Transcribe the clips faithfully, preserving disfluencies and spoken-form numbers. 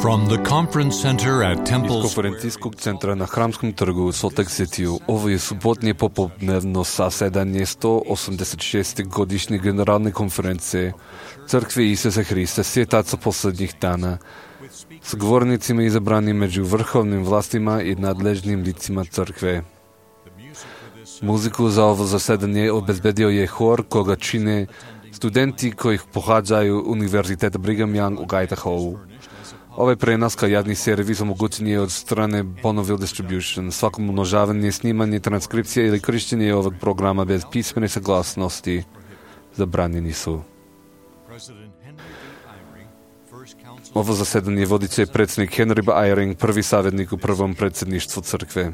From the conference center at Temple Iz konferencijskog centra na Hramskom trgu u Salt Lake City ovo je subotnje popodnevno zasedanje sto osamdeset šeste godišnje generalne konferencije Crkve Isusa Hrista svjetaca posljednjih dana s govornicima izabranim među vrhovnim vlastima i nadležnim licima crkve. Muziku za ovo zasedanje obezbedio je hor koga čine studenti koji pohađaju Univerzitet Brigham Young u Idahovu. Ovaj prenos kao javni servis omogućen je od strane Bonneville Distribution. Svako umnožavanje, snimanje, transkripcija ili korištenje ovog programa bez pismene saglasnosti zabranjeni su. Ovo zasedanje vodit će predsjednik Henry B. Eyring, prvi savjetnik u prvom predsjedništvu crkve.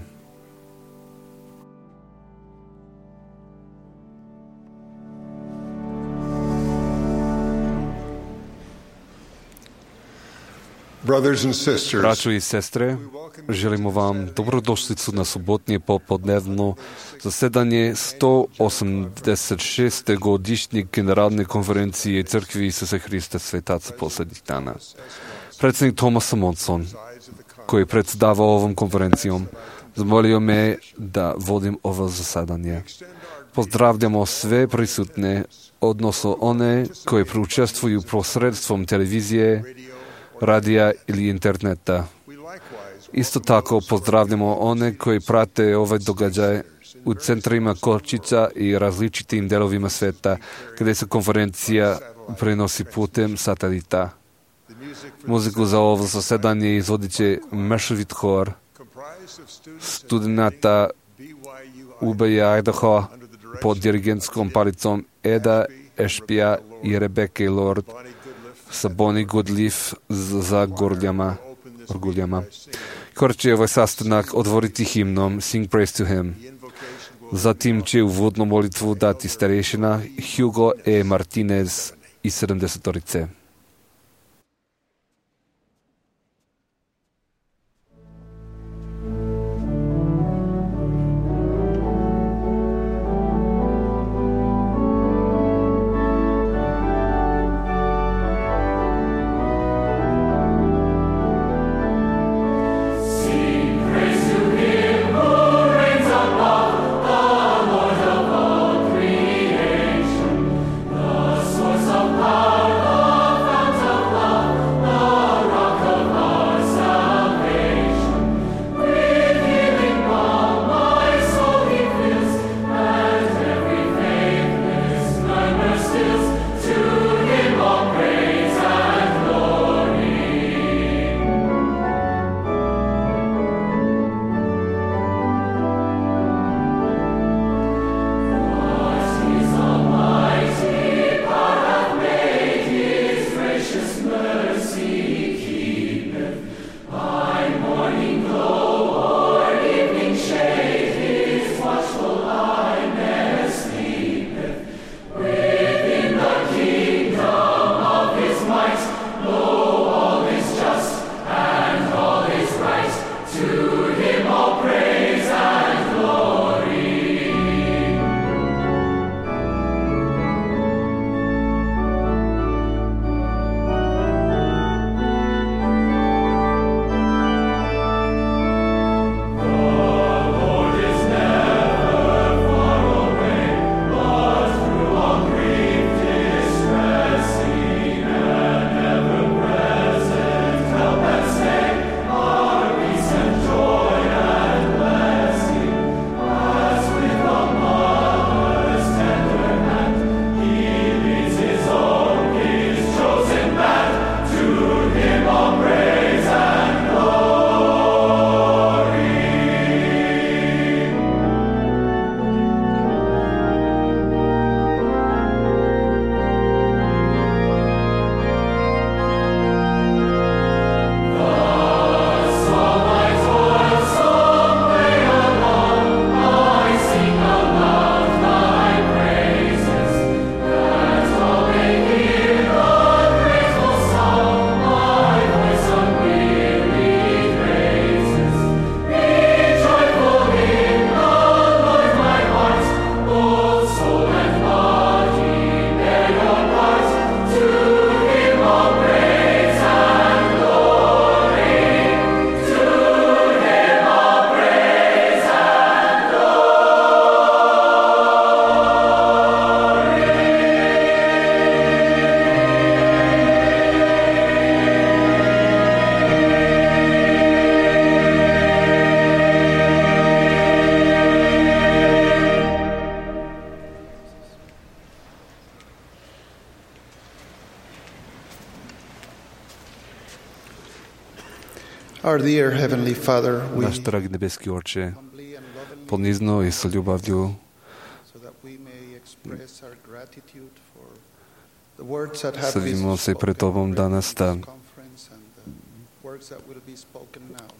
Braćo i sestre, želimo vam dobrodošlicu na subotnje popodnevno zasedanje sto osamdeset šeste godišnje generalne konferencije Crkve Isusa Hrista svjetaca posljednjih dana. Predsjednik Thomas Monson, koji je predsjedavao ovom konferencijom, zamolio me da vodim ovo zasedanje. Pozdravljamo sve prisutne, odnosno one koji učestvuju posredstvom televizije, radija ili interneta. Isto tako pozdravljamo one koji prate ovaj događaj u centrima Kočića i različitim delovima sveta gdje se konferencija prenosi putem satelita. Muziku za ovo zasedanje izvodit će mešovit hor studenata U B I Idaho pod dirigentskom palicom Eda Ešpija i Rebecca Lord sa Bonnie Goodleaf za gorguljama. Hor će ovaj sastanak otvoriti himnom Sing Praise to Him. Zatim će uvodnu molitvu dati starešina Hugo E. Martinez iz sedamdesetorice. Power of Our dear Heavenly Father, we Náš drahý nebeský Otče, ponizno i sa ľubavľou sedimo se pred Tobom danas da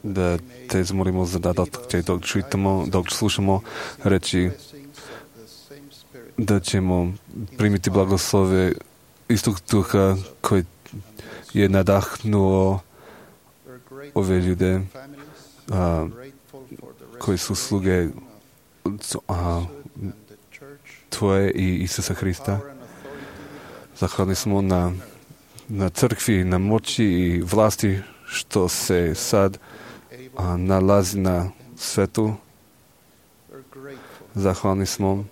da Te zmolimo za da dok čitamo, dok slušamo reči, da ćemo primiti blagoslove istog duha koji je nadahnuo ove ljude a, koji su sluge a, Tvoje i Isusa Hrista. Zahvalni smo na, na crkvi, na moći i vlasti što se sad a, nalazi na svetu. Zahvalni smo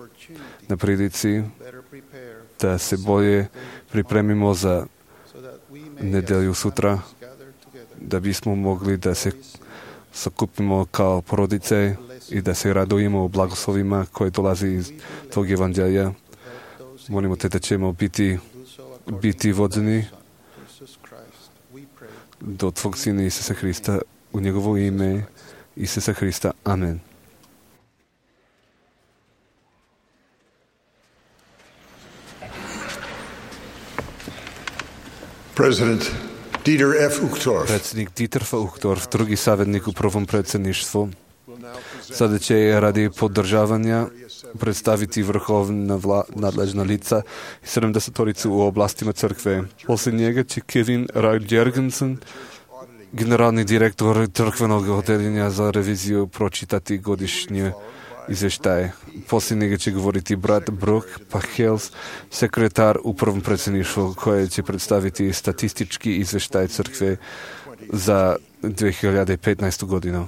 na prilici da se bolje pripremimo za nedelju sutra, da bismo mogli da se sakupimo kao porodice i da se radujemo u blagoslovima koje dolazi iz tog evanđelja. Molimo Te da ćemo biti, biti vođeni do Tvog Sina Isusa Hrista, u njegovo ime Isusa Hrista. Amen. President Dieter F. Uchtdorf. Predsjednik Dieter F. Uchtdorf, drugi savjetnik u prvom predsjedništvu, sada će radi podržavanja predstaviti vrhovna vla, nadležna lica i sedamdesetoricu u oblastima crkve. Poslije njega će Kevin Raud Jergensen, generalni direktor crkvenog odeljenja za reviziju, pročitati godišnje izvještaje. Poslije njega će govoriti brat Brook Pachels, sekretar u prvom predsjedništvu, koje će predstaviti statistički izvještaj crkve za dvije hiljade petnaestu godinu.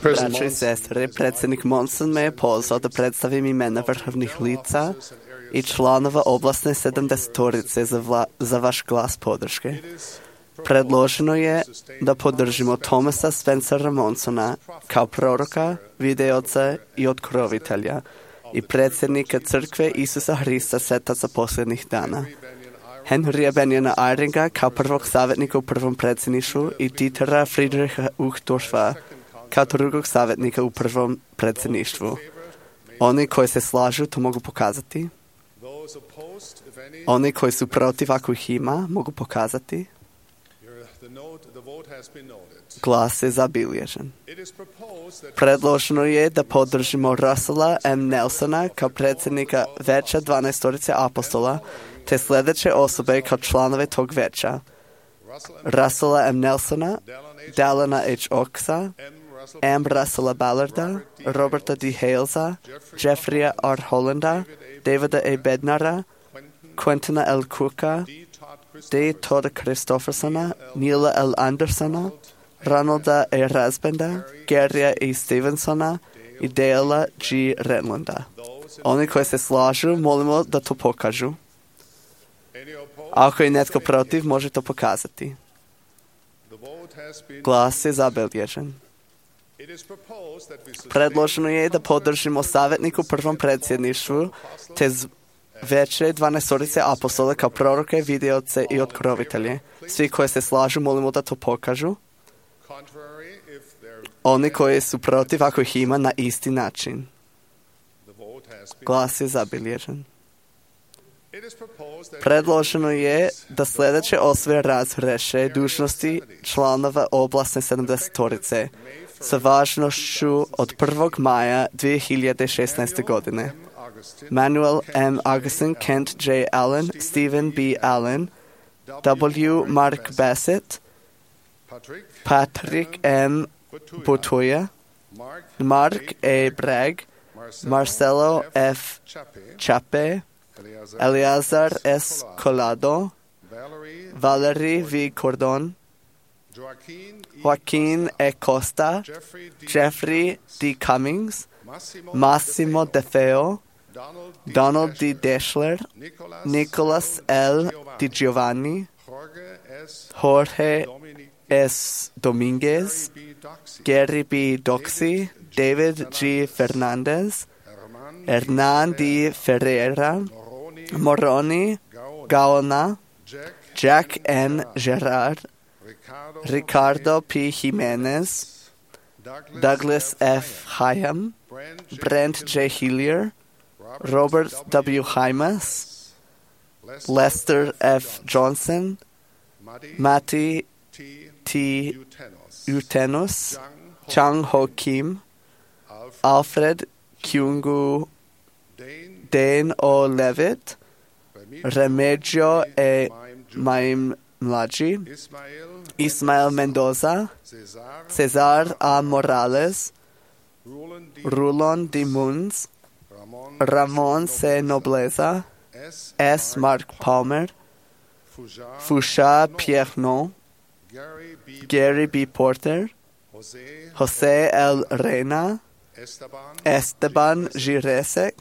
Braćo i sestre, predsjednik Monson me je pozvao da predstavim imena vrhovnih lica i članova oblastne sedamdesetorice za, vla, za vaš glas podrške. Predloženo je da podržimo Thomasa Spencera Monsona kao proroka, videoca i otkrovitelja i predsjednika crkve Isusa Hrista svetaca posljednjih dana. Henrya Benjana Eyringa kao prvog savjetnika u prvom predsjedništvu i Dietera Friedricha Uchtdorfa kao drugog savjetnika u prvom predsjedništvu. Oni koji se slažu to mogu pokazati. Oni koji su protiv, ako ih ima, mogu pokazati. Glas je zabilježen. Predloženo je da podržimo Russella M. Nelsona kao predsjednika veća dvanaestorice apostola, te sljedeće osobe kao članove tog veća: Russella M. Nelsona, Dallana H. Oxa, M. Russella Ballarda, Roberta D. Halesa, Jeffreya R. Hollanda, Davida A. Bednara, Quentina L. Cooka, D. Todd Christoffersona, Neila L. Andersona, Ronalda A. Rasbenda, Garya A. Stevensona i Dale G. Renlanda. Oni koji se slažu, molimo da to pokažu. Ako je netko protiv, može to pokazati. Glas je zabilježen. Predloženo je da podržimo savjetnik u prvom predsjedništvu, te veće dvanaestorice apostola kao proroke, videoce i otkrovitelje. Svi koji se slažu, molimo da to pokažu. Oni koji su protiv, ako ih ima, na isti način. Glas je zabilježen. Predloženo je da sljedeće osobe razreše dužnosti članova oblastne sedamdesetorice sa važnošću od prvog maja dvije hiljade šesnaeste. godine. Manuel M. Augustin, Kent J. Allen, Stephen B. Allen, W. Mark Bassett, Patrick M. Butoya, Mark A. Bragg, Marcelo F. Chape, Eleazar S. Collado, Valerie V. Cordon, Joaquin E. Costa, Jeffrey D. Cummings, Massimo De Feo, Donald D. Deschler, Nicholas L. Di Giovanni, Jorge S. Dominguez, Gary B. Doxy, David G. Fernandez, Hernan D. Ferreira, Moroni, Gaona, Jack N. Gerard, Ricardo P. Jimenez, Douglas F. Hyam, Brent J. Hillier, Robert W. Hymas, Lester F. Johnson, Matty T. Utenus, Chang Ho Kim, Alfred Kyungu Dane O. Levitt, Remigio E. Maim Mlaji, Ismael Mendoza, Cesar A. Morales, Rulon D. Munz, Ramon C. Nobleza, S. Mark Palmer, Foucha Piernon, Gary B. Porter, Jose L. Reyna, Esteban Giresek,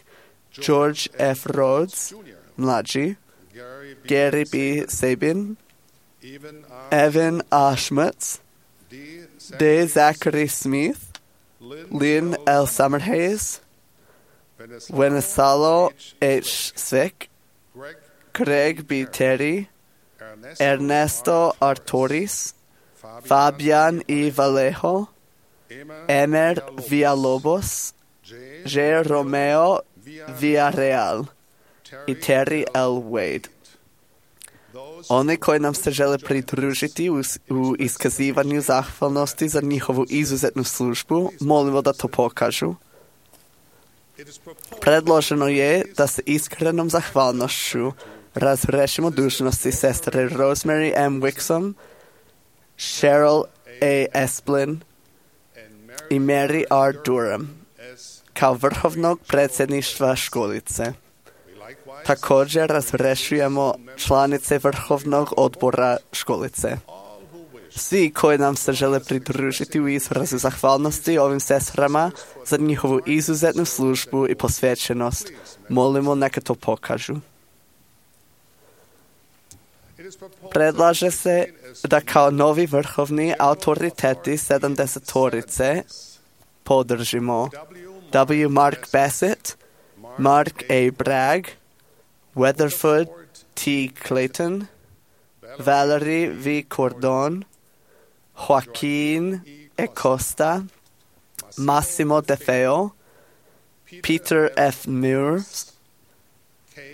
George F. Rhodes, Mlaji, Gary B. Sabin, Evan A. Schmutz, D. Zachary Smith, Lynn L. Summerhays, Wenesalo H. Svick, Craig B. Terry, Ernesto Artoris, Fabian E. Vallejo, Emer Villalobos, J. Romeo Villarreal i Terry L. Wade. Oni koji nam se žele pridružiti u, u iskazivanju zahvalnosti za njihovu izuzetnu službu, molimo da to pokažu. Predloženo je da se iskrenom zahvalnošću razrešimo dužnosti sestre Rosemary M. Wixom, Cheryl A. Esplin i Mary R. Durham kao vrhovnog predsjedništva školice. Također razrešujemo članice vrhovnog odbora školice. Svi koji nam se žele pridružiti u izrazu zahvalnosti ovim sestrama za njihovu izuzetnu službu i posvećenost, molimo neka to pokažu. Predlaže se da kao novi vrhovni autoriteti sedamdesetorice podržimo W. Mark Bassett, Mark A. Bragg, Weatherford T. Clayton, Valerie V. Cordon, Joaquin E. Costa, Massimo De Feo, Peter F. Muir,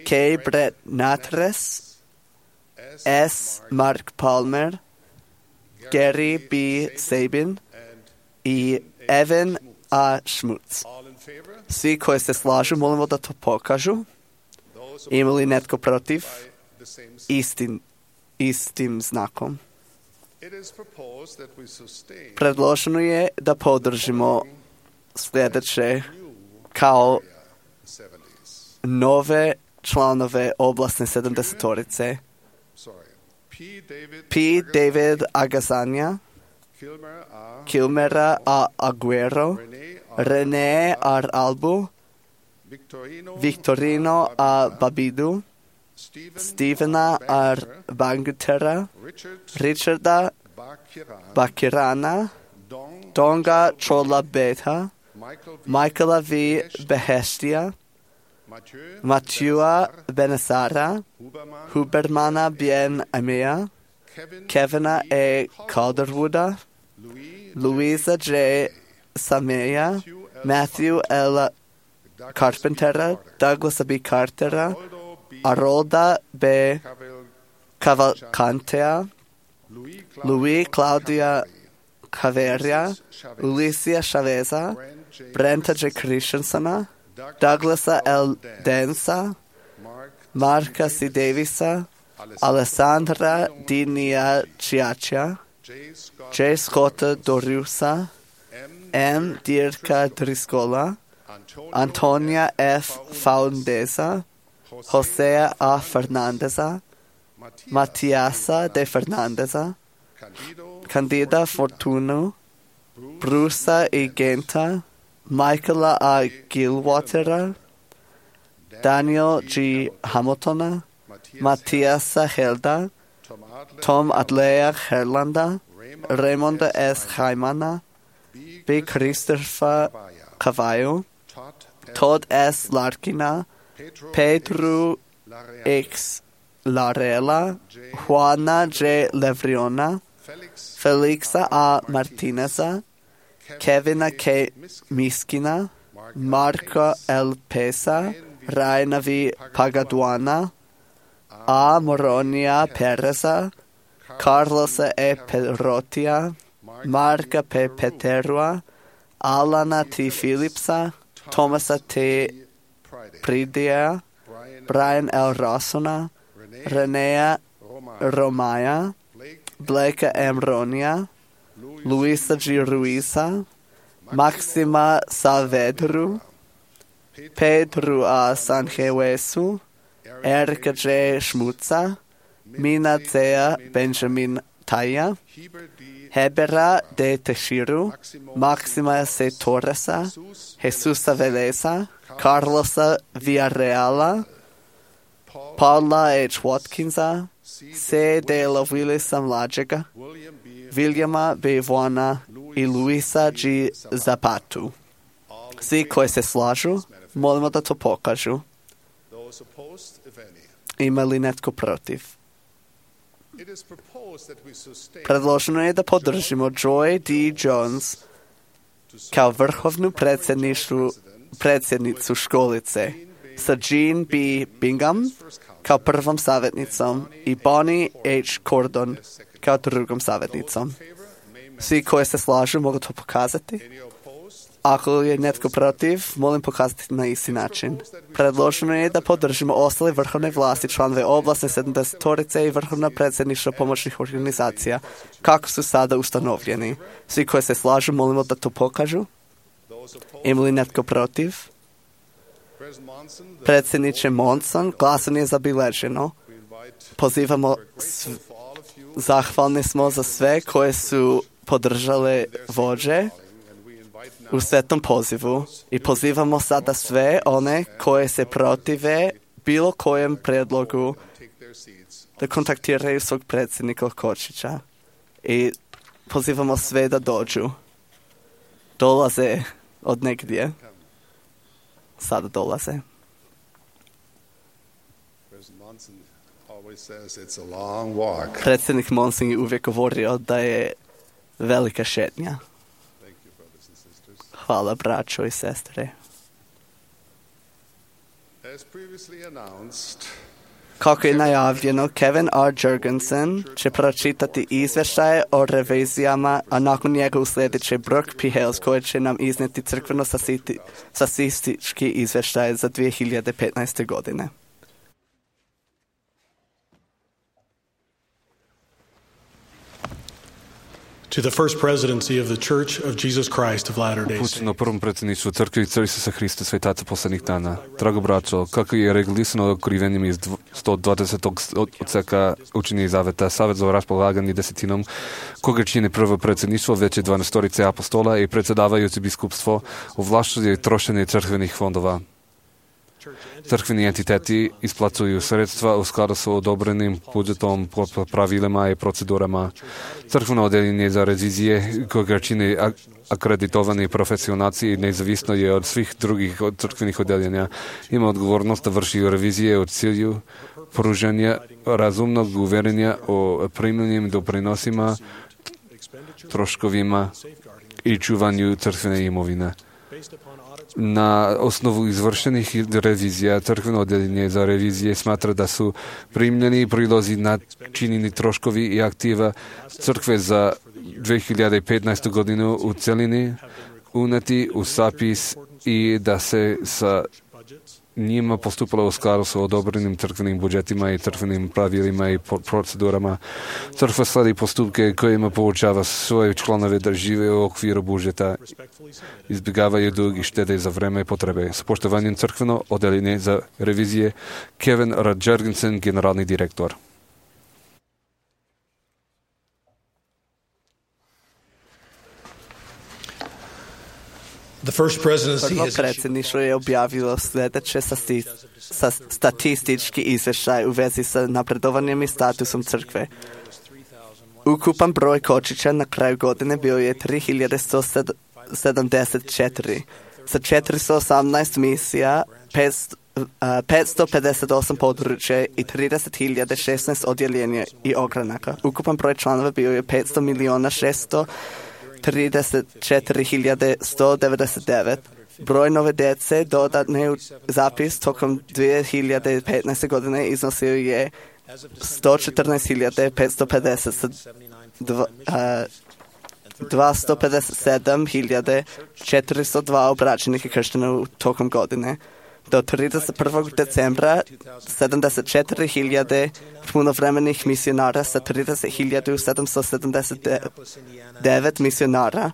K. Brett Natres, S. Mark Palmer, Gary B. Sabin i Evan A. Schmutz. Svi koji se slažu, molimo da to pokažu. Ima li netko protiv? Istim, istim znakom. Predloženo je da podržimo sljedeće kao nove članove oblasne sedamdesetorice. P. David Agazanja, Kilmera A. Aguero, René R. Albu, Victorino A. Babidu, Stevena R. Bangutera, Richarda Bakirana, Donga Chola Beta, Michaela V. Behestia, Matthewa Benesara, Hubermana Bien Amea, Kevina A. Calderwooda, Louisa J. Sameya, Matthew L. Carpentera, Douglas B. Cartera, Arolda B. Cavalcantea, Louis Claudia Caveria, Ulicia Chaveza, Brenta J. Christiansona, Douglasa L. Densa, Marka C. Davisa, Alessandra Dinia Ciaccia, J. Scotta Dorusa, M. Dirka Driscola, Antonia F. Faundeza, Josea A. Fernandeza, Matiasa de Fernandeza, Candida Fortuno, Brusa E. Genta, Michaela A. Gilwatera, Daniel G. Hamiltona, Matiasa Helda, Tom Adlea Herlanda, Raimonda S. Jaimana, B. Christopher Cavallo, Todd S. Larkina, Pedro X. Larela, Juana J. Levriona, Felixa A. Martineza, Kevina K. Miskina, Marco L. Pesa, Raina V. Pagaduana, A. Moronia Pereza, Carlos E. Perotia, Marca P. Peterua, Alana T. Philipsa, Tomasa T. Pridia, Brian L. Rossona, Renea Romaya, Blake M. Ronia, Luisa G. Ruiza, Maxima Saavedru, Pedro A. Sanjewesu, Erika J. Schmutza, Mina Zea Benjamin Taya, Hebera de Teshiru, Maxima C. Torresa, Jesusa Veleza, Carlosa Villarreala, Paula H. Watkinsa, C. de la Willisa Mlađega, Viljama B. Vona i Luisa G. Zapatu. Svi koji se slažu, molimo da to pokažu. Ima li netko protiv? Predloženo je da podržimo Joy D. Jones kao vrhovnu predsjednicu, predsjednicu školice, sa Jean B. Bingham kao prvom savjetnicom i Bonnie H. Cordon kao drugom savjetnicom. Svi koji se slažu mogu to pokazati. Ako je netko protiv, molim pokazati na isti način. Predloženo je da podržimo ostale vrhovne vlasti, članove oblasne sedamdesetorice i vrhovna predsjedništva pomoćnih organizacija, kako su sada ustanovljeni. Svi koji se slažu, molimo da to pokažu. Ima li netko protiv? Predsjedniče Monson, glasanje je zabilježeno. Pozivamo, sv... zahvalni smo za sve koje su podržale vođe u svetom pozivu i pozivamo sada sve one koje se protive bilo kojem predlogu da kontaktiraju svog predsjednika Kočića i pozivamo sve da dođu. Dolaze od negdje. Sada dolaze. Predsjednik Monson je uvijek govorio da je velika šetnja. Hvala, braćo i sestre. Kako je najavljeno, Kevin R. Jurgensen će pročitati izvještaje o revizijama, a nakon njega uslijedit će Brooke P. Hales, koji će nam iznijeti crkveno-statistički izvještaj za dvije hiljade petnaeste. godine. To the first presidency of the Church of Jesus Christ of Latter-day Saints. Na prvom predsjedništvu crkve Isusa Hrista svetaca poslednjih dana. Drago braćo, kako je regulisano otkrivenjem iz sto dvadesetog odseka učenja i zaveta, Savet za raspolaganje desetinom, koga čine prvo predsjedništvo, veće dvanaestorice apostola i predsjedavajući biskupstvo, ovlašćuje trošenje crkvenih fondova. Crkveni entiteti isplacuju sredstva u skladu sa odobrenim budžetom, pravilima i procedurama. Crkveno odeljenje za revizije, koga čine akreditovani profesionalci i nezavisno je od svih drugih crkvenih odeljenja, ima odgovornost da vrši revizije u cilju pružanja razumnog uverenja o primljenim doprinosima, troškovima i čuvanju crkvene imovine. Na osnovu izvršenih revizija, crkveno odeljenje za revizije smatra da su primljeni prilozi načinjeni troškovi i aktiva crkve za dvije hiljade petnaestu. godinu u celini uneti u zapis i da se sa njima postupalo u skladu sa odobrenim crkvenim budžetima i crkvenim pravilima i procedurama. Crkva sledi postupke kojima poučava svoje članove da žive u okviru budžeta, izbjegavaju dug i štede za vreme i potrebe. S poštovanjem crkveno odeljenje za revizije, Kevin R. Jurgensen, generalni direktor. Prvo predsjedništvo je objavilo sljedeće sa statistički izvještaj u vezi sa napredovanjem i statusom crkve. Ukupan broj kočića na kraju godine bio je tri hiljade sto sedamdeset četiri. Sa četiristo osamnaest misija, petsto pedeset osam područja i trideset hiljada šesnaest odjeljenja i ogranaka. Ukupan broj članova bio je petsto milijuna šesto trideset četiri hiljade sto devedeset devet. Broj nove djece dodatne u zapis tokom dvije hiljade petnaeste godine iznosio je sto četrnaest hiljada petsto pedeset, dvjesto pedeset sedam hiljada četiristo dva obraćenih i krštena tokom godine. Do trideset prvog decembra sedamdeset četiri hiljade punovremenih misionara sa trideset hiljada sedamsto sedamdeset devet misionara.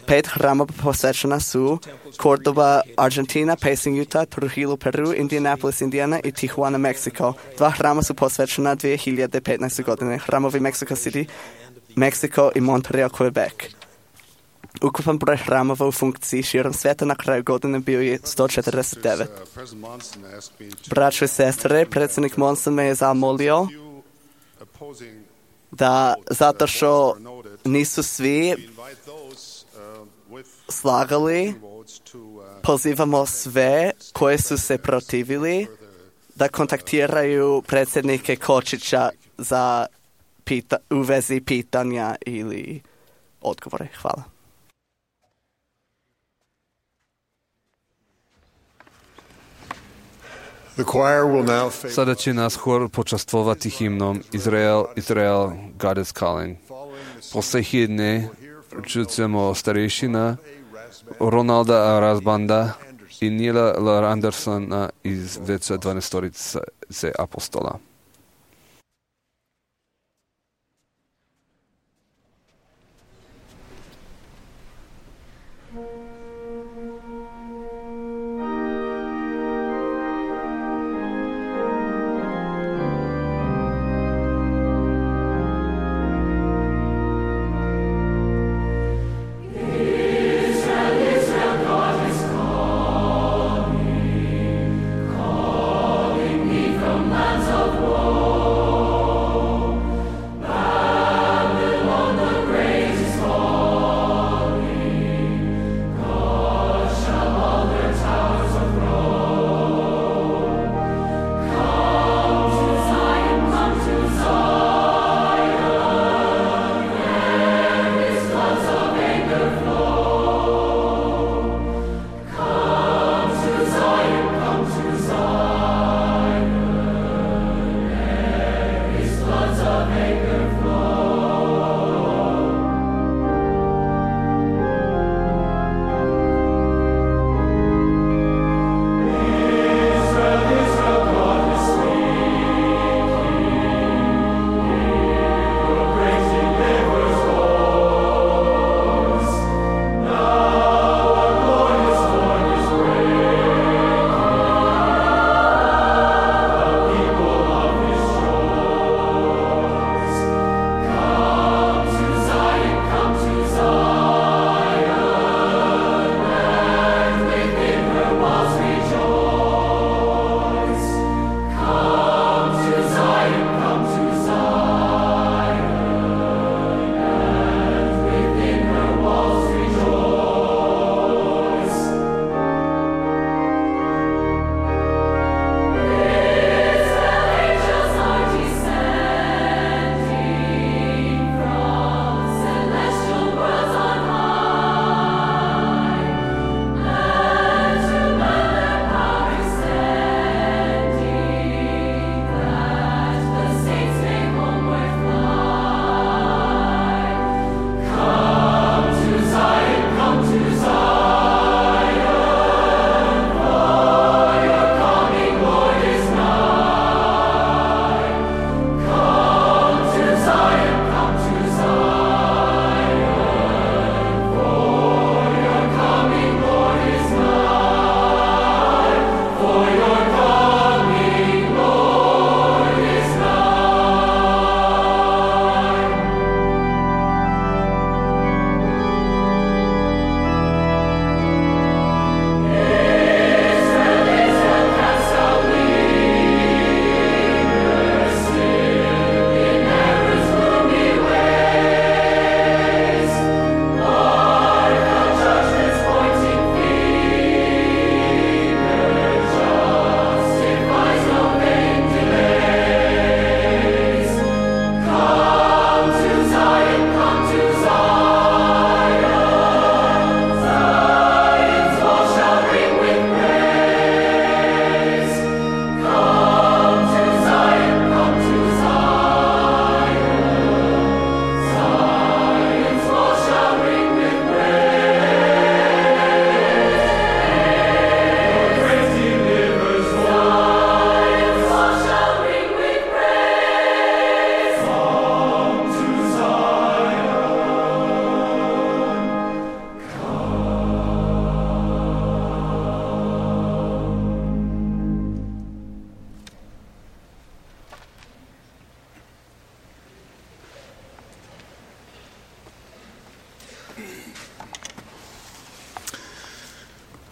Pet hrama posvećena su Cordoba, Argentina, Pacing, Utah, Trujillo, Peru, Indianapolis, Indiana i Tijuana, Meksiko. Dva hrama su posvećena dvije hiljade petnaeste godine. Hramovi Mexico City, Meksiko i Montreal, Quebec. Ukupan broj hramova u funkciji širom sveta na kraju godine bio je sto četrdeset devet. Braćo i sestre, predsjednik Monson me je zamolio da zato što nisu svi slagali, pozivamo sve koje su se protivili da kontaktiraju predsjednike Kočića za pita, u vezi pitanja ili odgovore. Hvala. Sada će nas hor počastvovati himnom Izrael, Izrael, God is calling. Posle himne čućemo starešina Ronalda Razbanda i Nila L. Andersona iz veća dvanaestorice apostola. Lands of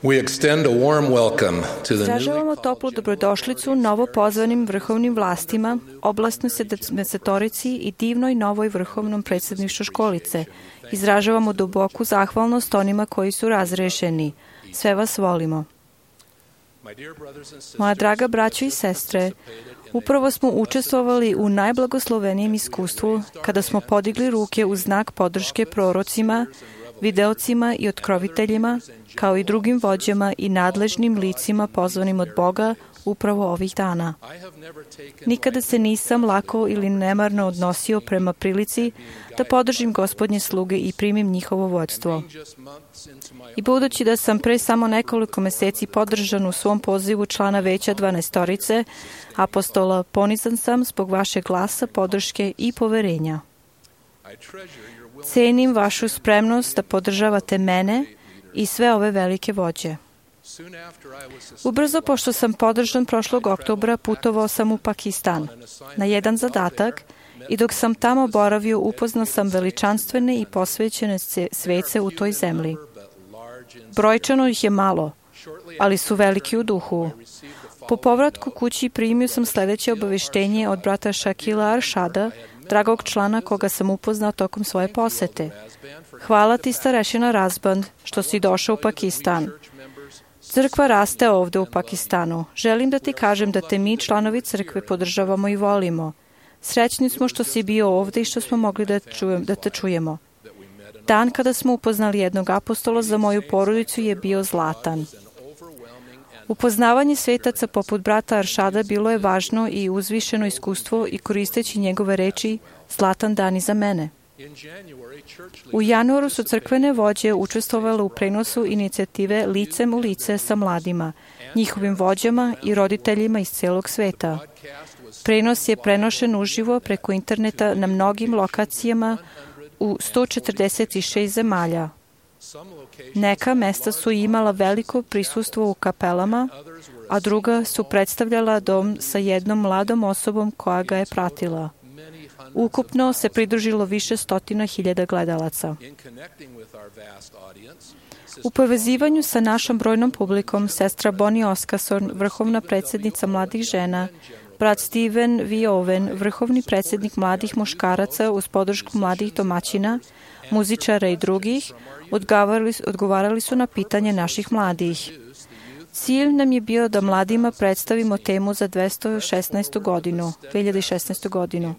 We extend a warm welcome to the Izražavamo toplu dobrodošlicu novo pozvanim vrhovnim vlastima, oblastnoj sedamdesetorici i divnoj novoj vrhovnom predsjedništvu školice. Izražavamo duboku zahvalnost onima koji su razrešeni. Sve vas volimo. Moja draga braćo i sestre, upravo smo učestvovali u najblagoslovenijem iskustvu kada smo podigli ruke u znak podrške prorocima, videocima i otkroviteljima, kao i drugim vođama i nadležnim licima pozvanim od Boga upravo ovih dana. Nikada se nisam lako ili nemarno odnosio prema prilici da podržim Gospodnje sluge i primim njihovo vođstvo. I budući da sam pre samo nekoliko meseci podržan u svom pozivu člana veća dvanaestorice apostola, ponizan sam zbog vašeg glasa, podrške i poverenja. Cenim vašu spremnost da podržavate mene i sve ove velike vođe. Ubrzo pošto sam podržan prošlog oktobra, putovao sam u Pakistan na jedan zadatak i dok sam tamo boravio upoznao sam veličanstvene i posvećene svece u toj zemlji. Brojčano ih je malo, ali su veliki u duhu. Po povratku kući primio sam sljedeće obaveštenje od brata Shakila Arshada, dragog člana koga sam upoznao tokom svoje posete. Hvala ti, starešina Razband, što si došao u Pakistan. Crkva raste ovdje u Pakistanu. Želim da ti kažem da te mi, članovi crkve, podržavamo i volimo. Srećni smo što si bio ovdje i što smo mogli da, čujem, da te čujemo. Dan kada smo upoznali jednog apostola za moju porodicu je bio zlatan. Upoznavanje svetaca poput brata Aršada bilo je važno i uzvišeno iskustvo i koristeći njegove reči zlatan dan i za mene. U januaru su crkvene vođe učestvovale u prenosu inicijative Licem u lice sa mladima, njihovim vođama i roditeljima iz celog sveta. Prenos je prenošen uživo preko interneta na mnogim lokacijama u sto četrdeset šest zemalja. Neka mesta su imala veliko prisustvo u kapelama, a druga su predstavljala dom sa jednom mladom osobom koja ga je pratila. Ukupno se pridružilo više stotina hiljada gledalaca. U povezivanju sa našom brojnom publikom, sestra Bonnie Oskason, vrhovna predsjednica mladih žena, brat Steven V. Owen, vrhovni predsjednik mladih muškaraca uz podršku mladih domaćina, muzičara i drugih, odgovarali, odgovarali su na pitanje naših mladih. Cilj nam je bio da mladima predstavimo temu za dvesta šesnaestu godinu, dve hiljade šesnaestu godinu.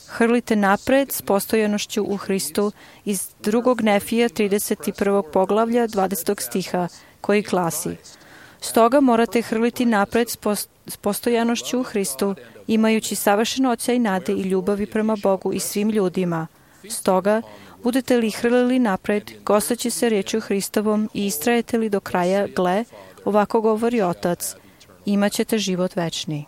Hrlite napred s postojanošću u Hristu iz drugog Nefija trideset prvog poglavlja dvadesetog stiha, koji glasi: Stoga morate hrliti napred s postojanošću u Hristu, imajući savršen osjećaj nade i ljubavi prema Bogu i svim ljudima. Stoga, budete li hrlili napred, gosteći se riječju Hristovom i istrajete li do kraja, gle, ovako govori Otac, imat ćete život večni.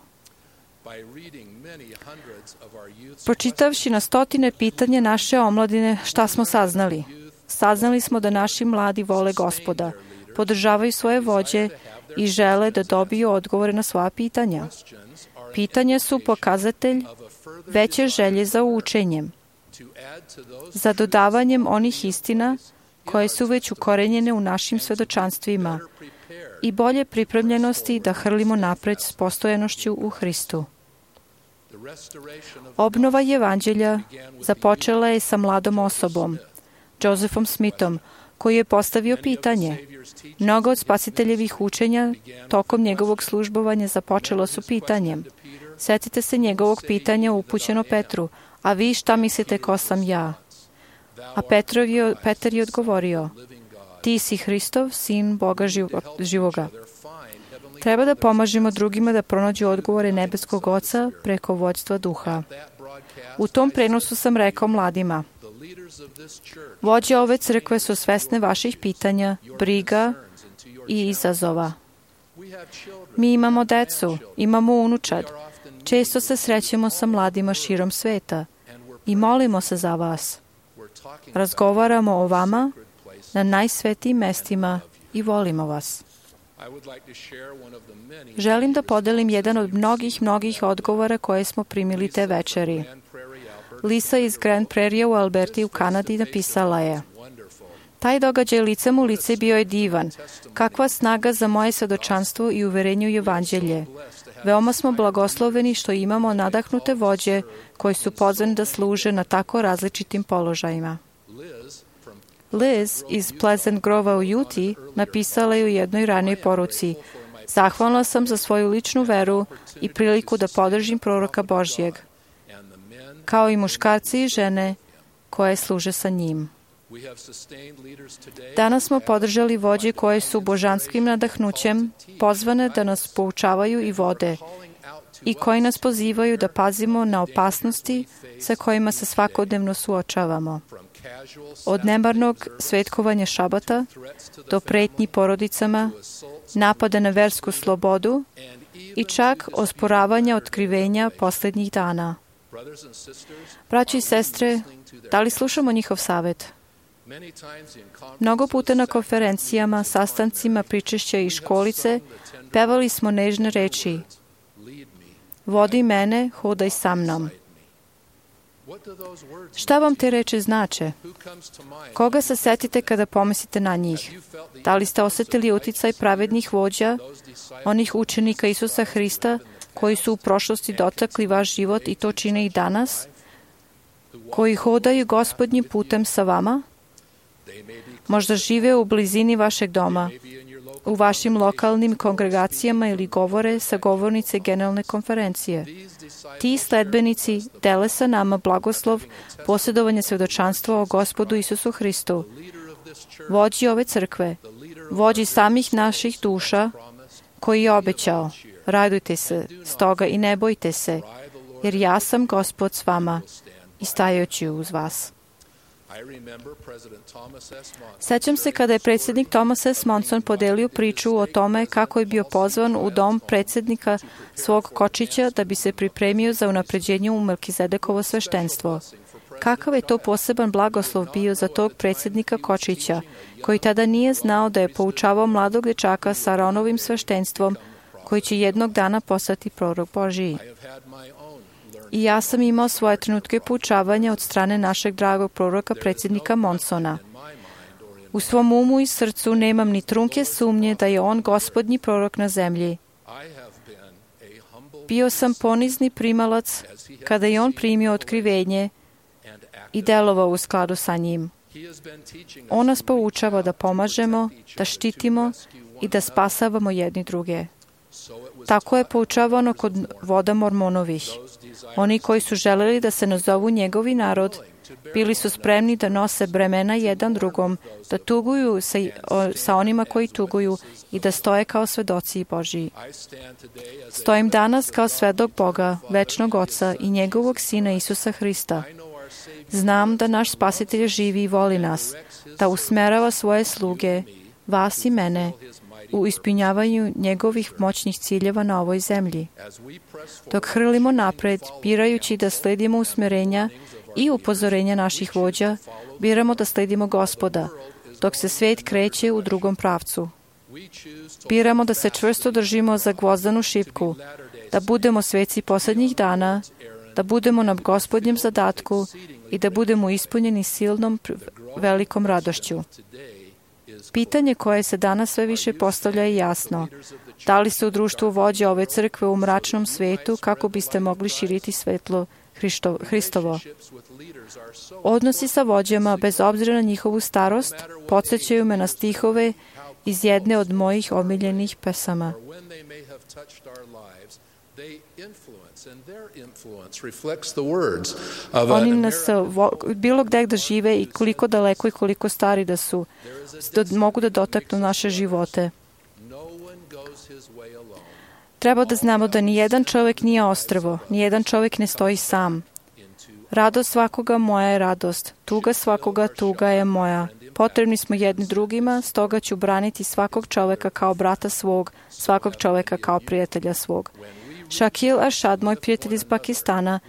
Pročitavši na stotine pitanja naše omladine, šta smo saznali? Saznali smo da naši mladi vole Gospoda, podržavaju svoje vođe i žele da dobiju odgovore na svoja pitanja. Pitanja su pokazatelj veće želje za učenjem, za dodavanjem onih istina koje su već ukorenjene u našim svedočanstvima i bolje pripremljenosti da hrlimo napred s postojanošću u Hristu. Obnova evanđelja započela je sa mladom osobom, Josephom Smithom, koji je postavio pitanje. Mnogo od spasiteljevih učenja tokom njegovog službovanja započelo su pitanjem. Sjetite se njegovog pitanja upućeno Petru, a vi šta mislite ko sam ja? A Petrov je, Petar je odgovorio, ti si Hristov, sin Boga živoga. Treba da pomažemo drugima da pronađu odgovore nebeskog Oca preko vođstva duha. U tom prenosu sam rekao mladima, vođe ove crkve su svesne vaših pitanja, briga i izazova. Mi imamo decu, imamo unučad. Često se srećemo sa mladima širom sveta i molimo se za vas. Razgovaramo o vama na najsvetijim mestima i volimo vas. Želim da podelim jedan od mnogih, mnogih odgovora koje smo primili te večeri. Lisa iz Grand Prairie u Alberti u Kanadi napisala je: Taj događaj licem u lice bio je divan. Kakva snaga za moje svedočanstvo i uverenju i evanđelje. Veoma smo blagosloveni što imamo nadahnute vođe koji su pozvani da služe na tako različitim položajima. Liz iz Pleasant Grova u Juti napisala je u jednoj ranoj poruci: Zahvalna sam za svoju ličnu veru i priliku da podržim proroka Božjeg, kao i muškarci i žene koje služe sa njim. Danas smo podržali vođe koje su božanskim nadahnućem pozvane da nas poučavaju i vode i koji nas pozivaju da pazimo na opasnosti sa kojima se svakodnevno suočavamo. Od nemarnog svetkovanja šabata do pretnji porodicama, napada na versku slobodu i čak osporavanja otkrivenja posljednjih dana. Braći i sestre, da li slušamo njihov savjet? Mnogo puta na konferencijama, sastancima, pričešća i školice pevali smo nežne reči: Vodi mene, hodaj sa mnom. Šta vam te reči znače? Koga se setite kada pomislite na njih? Da li ste osjetili uticaj pravednih vođa, onih učenika Isusa Hrista, koji su u prošlosti dotakli vaš život i to čine i danas, koji hodaju Gospodnjim putem sa vama? Možda žive u blizini vašeg doma, u vašim lokalnim kongregacijama ili govore sa govornice generalne konferencije. Ti sledbenici dele sa nama blagoslov posjedovanja svjedočanstva o Gospodu Isusu Hristu, vođi ove crkve, vođi samih naših duša, koji je obećao: radujte se, stoga i ne bojte se, jer ja sam Gospod s vama i stajajući uz vas. Sećam se kada je predsjednik Thomas S. Monson podelio priču o tome kako je bio pozvan u dom predsjednika svog kočića da bi se pripremio za unapređenje u Melkizedekovo sveštenstvo. Kakav je to poseban blagoslov bio za tog predsjednika kočića, koji tada nije znao da je poučavao mladog dečaka sa Aronovim sveštenstvom, koji će jednog dana postati prorok Božiji. I ja sam imao svoje trenutke poučavanja od strane našeg dragog proroka predsjednika Monsona. U svom umu i srcu nemam ni trunke sumnje da je on gospodnji prorok na zemlji. Bio sam ponizni primalac kada je on primio otkrivenje i delovao u skladu sa njim. On nas poučava da pomažemo, da štitimo i da spasavamo jedni druge. Tako je poučavano kod voda Mormonovih. Oni koji su želeli da se nazovu njegovi narod, bili su spremni da nose bremena jedan drugom, da tuguju sa, o, sa onima koji tuguju i da stoje kao svedoci Božiji. Stojim danas kao svedok Boga, večnog Oca i njegovog Sina Isusa Hrista. Znam da naš Spasitelj živi i voli nas, da usmerava svoje sluge, vas i mene, u ispunjavanju njegovih moćnih ciljeva na ovoj zemlji. Dok hrlimo napred, birajući da sledimo usmjerenja i upozorenja naših vođa, biramo da sledimo Gospoda, dok se svijet kreće u drugom pravcu. Biramo da se čvrsto držimo za gvozdanu šipku, da budemo sveci posljednjih dana, da budemo na Gospodnjem zadatku i da budemo ispunjeni silnom velikom radošću. Pitanje koje se danas sve više postavlja je jasno. Da li ste u društvu vođa ove crkve u mračnom svijetu kako biste mogli širiti svetlo Hristovo? Odnosi sa vođama, bez obzira na njihovu starost, podsjećaju me na stihove iz jedne od mojih omiljenih pesama. Oni nas bilo gde da žive i koliko daleko i koliko stari da su, da mogu da dotaknu naše živote. Treba da znamo da nijedan čovjek nije ostrvo, nijedan čovjek ne stoji sam. Radost svakoga moja je radost, tuga svakoga tuga je moja. Potrebni smo jedni drugima, stoga ću braniti svakog čovjeka kao brata svog, svakog čovjeka kao prijatelja svog. Shakil Ashad, moj prijatelj iz Pakistana,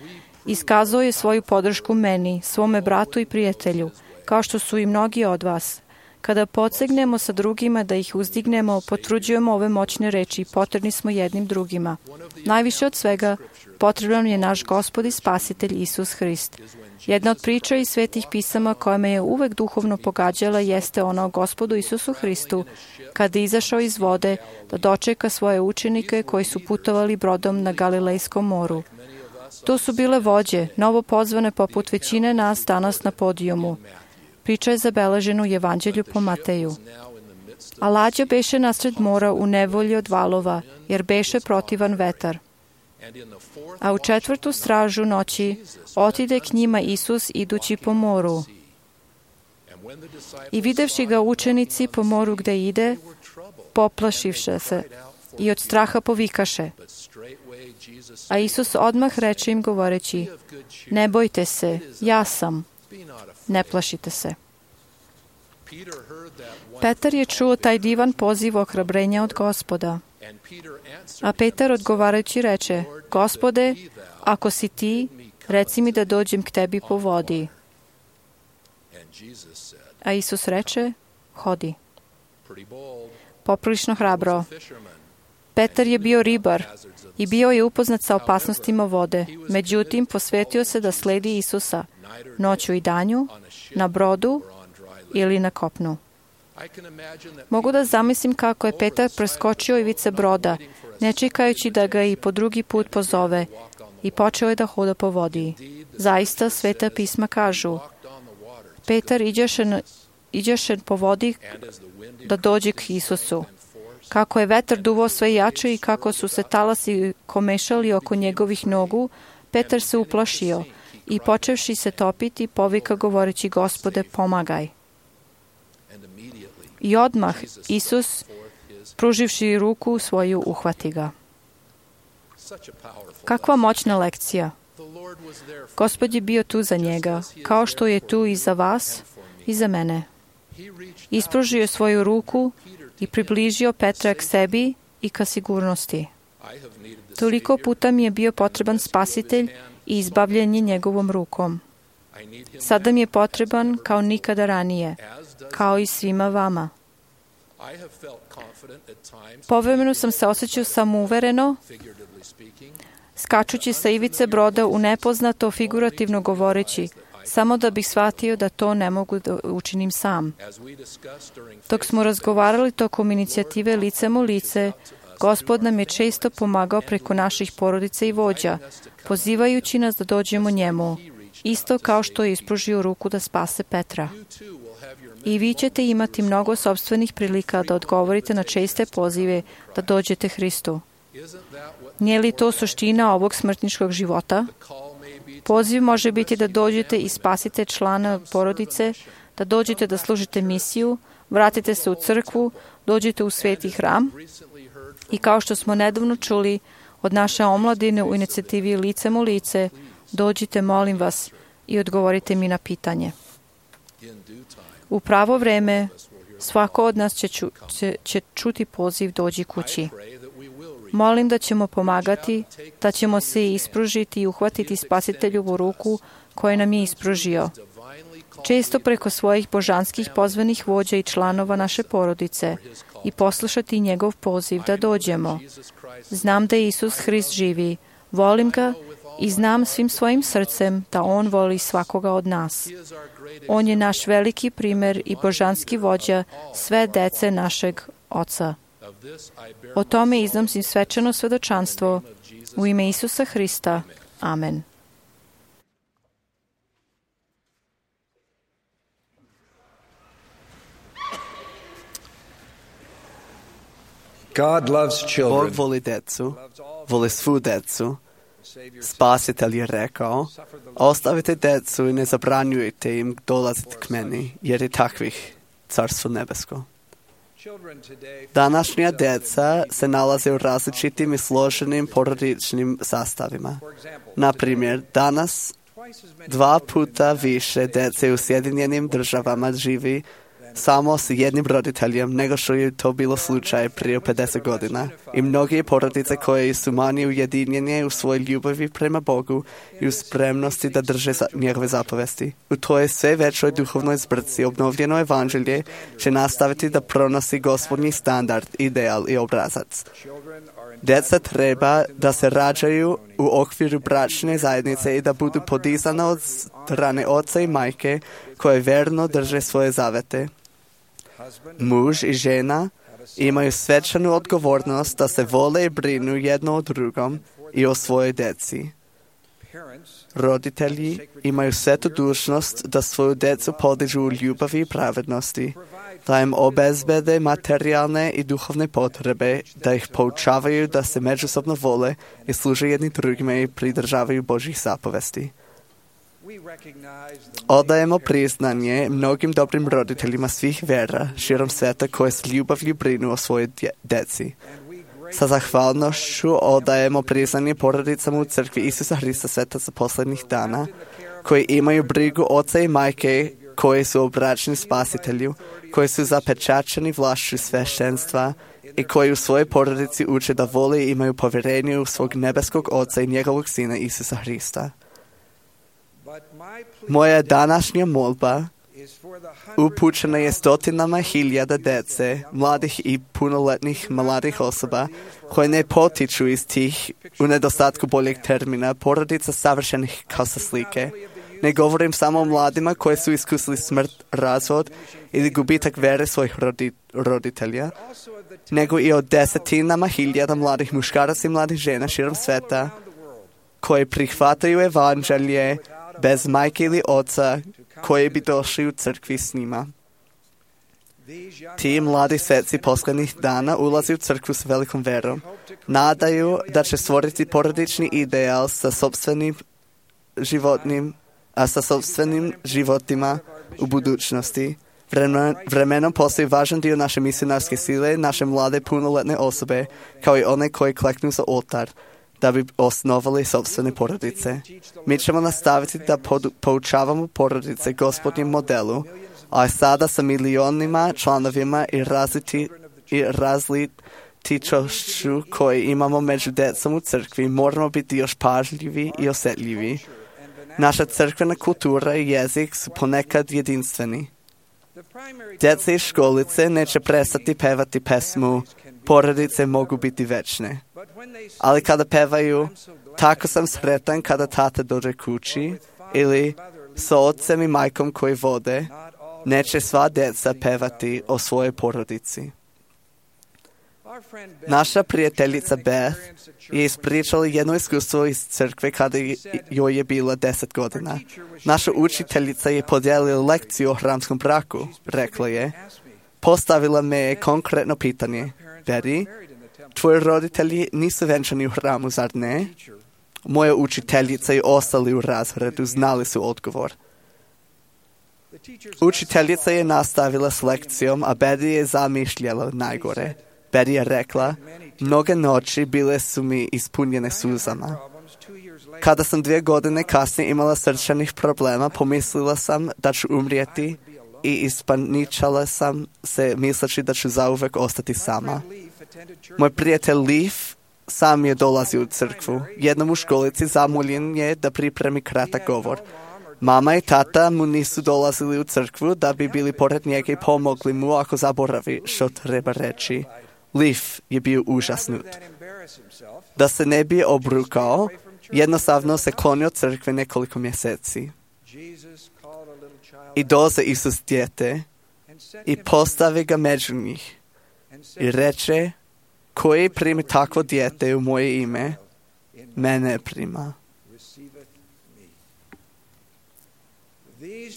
iskazao je svoju podršku meni, svome bratu i prijatelju, kao što su i mnogi od vas. Kada podsegnemo sa drugima da ih uzdignemo, potvrđujemo ove moćne reči i potrebni smo jednim drugima. Najviše od svega, potreban je naš Gospod i Spasitelj Isus Hrist. Jedna od priča iz Svetih pisama koja me je uvek duhovno pogađala jeste ona o Gospodu Isusu Hristu, kada je izašao iz vode da dočeka svoje učenike koji su putovali brodom na Galilejskom moru. To su bile vođe, novo pozvane poput većine nas danas na podijumu. Priča je zabeležena u Evanđelju po Mateju. A lađa beše nasred mora u nevolji od valova, jer beše protivan vetar. A u četvrtu stražu noći otide k njima Isus idući po moru. I videvši ga učenici po moru gde ide, poplašivše se i od straha povikaše. A Isus odmah reče im govoreći, ne bojte se, ja sam, ne plašite se. Petar je čuo taj divan poziv ohrabrenja od Gospoda. A Petar odgovarajući reče, Gospode, ako si ti, reci mi da dođem k tebi po vodi. A Isus reče, hodi. Poprilično hrabro. Petar je bio ribar i bio je upoznat sa opasnostima vode. Međutim, posvetio se da sledi Isusa noću i danju, na brodu ili na kopnu. Mogu da zamislim kako je Petar preskočio ivice broda, ne čekajući da ga i po drugi put pozove, i počeo je da hoda po vodi. Zaista, Sveta pisma kažu, Petar iđeše, iđeše po vodi da dođe k Isusu. Kako je vetar duvao sve jače i kako su se talasi komešali oko njegovih nogu, Petar se uplašio i počevši se topiti, povika govoreći, Gospode, pomagaj. I odmah Isus, pruživši ruku svoju, uhvati ga. Kakva moćna lekcija! Gospod je bio tu za njega, kao što je tu i za vas i za mene. Ispružio je svoju ruku i približio Petra k sebi i ka sigurnosti. Toliko puta mi je bio potreban spasitelj i izbavljenje njegovom rukom. Sada mi je potreban kao nikada ranije, kao i svima vama. Povremeno sam se osjećao samouvereno, skačući sa ivice broda u nepoznato, figurativno govoreći, samo da bih shvatio da to ne mogu da učinim sam. Dok smo razgovarali tokom inicijative Licem u lice, Gospod nam je često pomagao preko naših porodica i vođa, pozivajući nas da dođemo njemu, isto kao što je ispružio ruku da spase Petra. I vi ćete imati mnogo sopstvenih prilika da odgovorite na česte pozive da dođete Hristu. Nije li to suština ovog smrtničkog života? Poziv može biti da dođete i spasite člana porodice, da dođete da služite misiju, vratite se u crkvu, dođete u sveti hram i kao što smo nedavno čuli od naše omladine u inicijativi Licem u lice, dođite, molim vas, i odgovorite mi na pitanje. U pravo vreme svako od nas će, ču, će, će čuti poziv dođi kući. Molim da ćemo pomagati, da ćemo se ispružiti i uhvatiti Spasiteljovu ruku koju nam je ispružio. Često preko svojih božanskih pozvanih vođa i članova naše porodice i poslušati njegov poziv da dođemo. Znam da Isus Hrist živi, volim ga i znam svim svojim srcem da On voli svakoga od nas. On je naš veliki primer i božanski vođa sve dece našeg Oca. O tome iznosim svečano svedočanstvo u ime Isusa Hrista. Amen. God loves children. Bog voli decu, voli svu decu. Spasitelj je rekao, ostavite decu i ne zabranjujte im dolaziti k meni, jer je takvih Carstvo nebesko. Današnja deca se nalaze u različitim i složenim porodičnim sastavima. Na primjer, danas dva puta više dece u Sjedinjenim državama živi samo s jednim roditeljem nego što je to bilo slučaj prije pedeset godina. I mnogi porodice koje su manje ujedinjene u svojoj ljubavi prema Bogu i u spremnosti da drže za njegove zapovesti. U toj sve većoj duhovnoj zbrci obnovljeno evanđelje će nastaviti da pronosi gospodnji standard, ideal i obrazac. Djeca treba da se rađaju u okviru bračne zajednice i da budu podizana od strane oca i majke koje verno drže svoje zavete. Muž i žena imaju svečanu odgovornost da se vole i brinu jedno o drugom i o svojoj djeci. Roditelji imaju svetu dužnost da svoju djecu podižu u ljubavi i pravednosti, da im obezbede materijalne i duhovne potrebe, da ih poučavaju da se međusobno vole i služe jedni drugima i pridržavaju Božjih zapovesti. Odajemo priznanje mnogim dobrim roditeljima svih vera širom sveta koje s ljubavlju brinu o svojoj djeci. Sa zahvalnošću odajemo priznanje porodicama u crkvi Isusa Hrista sveta za posljednjih dana, koji imaju brigu oca i majke, koji su obraćeni spasitelju, koji su zapečačeni vlašću sveštenstva i koji u svojoj porodici uče da vole i imaju povjerenje u svog nebeskog oca i njegovog sina Isusa Hrista. Moja današnja molba upućena je stotinama hiljada djece, mladih i punoletnih mladih osoba koje ne potiču iz tih, u nedostatku boljeg termina, porodica savršenih kao sa slike. Ne govorim samo o mladima koji su iskusili smrt, razvod ili gubitak vere svojih rodi, roditelja, nego i o desetinama hiljada mladih muškaraca i mladih žena širom sveta koji prihvataju evanđelje bez majke ili oca koji bi došli u crkvi s njima. Ti mladi sveci posljednjih dana ulazi u crkvu s velikom verom. Nadaju da će stvoriti porodični ideal sa sopstvenim životnim, a sa sopstvenim životima u budućnosti. Vremen, vremenom postoji važan dio naše misionarske sile, naše mlade punoletne osobe, kao i one koji kleknu za oltar, da bi osnovali sopstvene porodice. Mi ćemo nastaviti da pod, poučavamo porodice Gospodnjem modelu, a sada sa milionima članovima i, razliti, i različitošću koji imamo među djecom u crkvi, moramo biti još pažljivi i osjetljivi. Naša crkvena kultura i jezik su ponekad jedinstveni. Djeca iz školice neće prestati pevati pesmu Porodice mogu biti večne. Ali kada pevaju Tako sam sretan kada tata dođe kući ili sa ocem i majkom koji vode, neće sva djeca pevati o svojoj porodici. Naša prijateljica Beth je ispričala jedno iskustvo iz crkve kada joj je bila deset godina. Naša učiteljica je podijelila lekciju o hramskom braku. Rekla je, postavila me je konkretno pitanje. Betty, tvoji roditelji nisu venčani u hramu, zar ne? Moja učiteljica i ostali u razredu znali su odgovor. Učiteljica je nastavila s lekcijom, a Betty je zamišljala najgore. Betty je rekla, mnoge noći bile su mi ispunjene suzama. Kada sam dvije godine kasnije imala srčanih problema, pomislila sam da ću umrijeti i ispaničala sam se misleći da ću zauvek ostati sama. Moj prijatelj Leaf sam je dolazio u crkvu. Jednom u školici zamoljen je da pripremi kratak govor. Mama i tata mu nisu dolazili u crkvu da bi bili pored njega i pomogli mu ako zaboravi što treba reći. Leaf je bio užasnut. Da se ne bi obrukao, jednostavno se klonio od crkve nekoliko mjeseci. I doze Isus dijete i postavi ga među njih i reče, koji primi takvo dijete u moje ime, mene prima.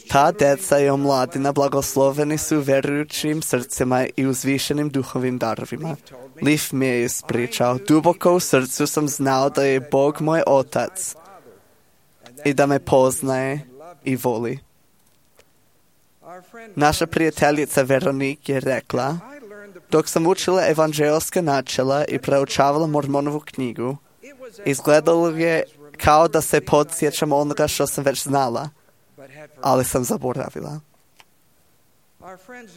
Ta djeca i omladina blagosloveni su vjerujućim srcima i uzvišenim duhovim darovima. Leaf mi je ispričao, duboko u srcu sam znao da je Bog moj otac i da me poznaje i voli. Naša prijateljica Veronik je rekla, dok sam učila evanđelska načela i proučavala Mormonovu knjigu, izgledalo je kao da se podsjećam onoga što sam već znala, ali sam zaboravila.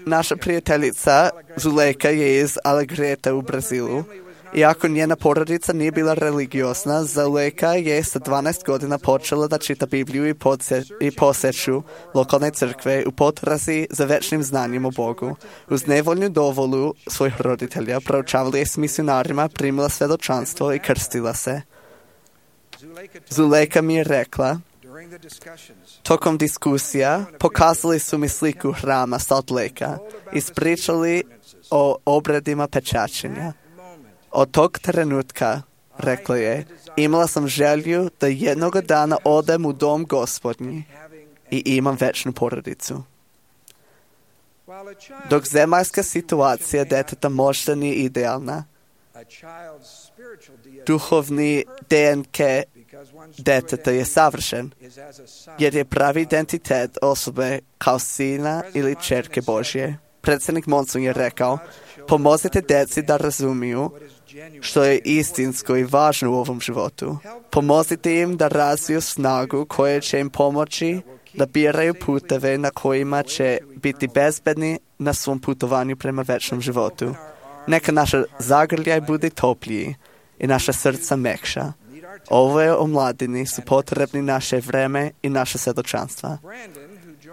Naša prijateljica Zulejka je iz Alegreta u Brazilu Iako njena porodica nije bila religiozna, Zulejka je sa dvanaest godina počela da čita Bibliju i, podse, i poseću lokalne crkve u potrazi za večnim znanjem o Bogu. Uz nevoljnu dovolu svojih roditelja proučavala je s misionarima, primila svedočanstvo i krstila se. Zulejka mi je rekla, tokom diskusija pokazali su mi sliku hrama Salt Lakea, ispričali o obredima pečaćenja. Od tog trenutka, rekla je, imala sam želju da jednog dana odem u dom Gospodnji i imam večnu porodicu. Dok zemaljska situacija deteta možda nije idealna, duhovni D N K deteta je savršen, jer je pravi identitet osobe kao sina ili ćerke Božje. Predsjednik Monson je rekao, pomozite djeci da razumiju što je istinsko i važno u ovom životu. Pomozite im da razviju snagu koja će im pomoći da biraju puteve na kojima će biti bezbedni na svom putovanju prema večnom životu. Neka naša zagrljaj bude topliji i naša srca mekša. Ove omladini su potrebni naše vreme i naše svjedočanstva.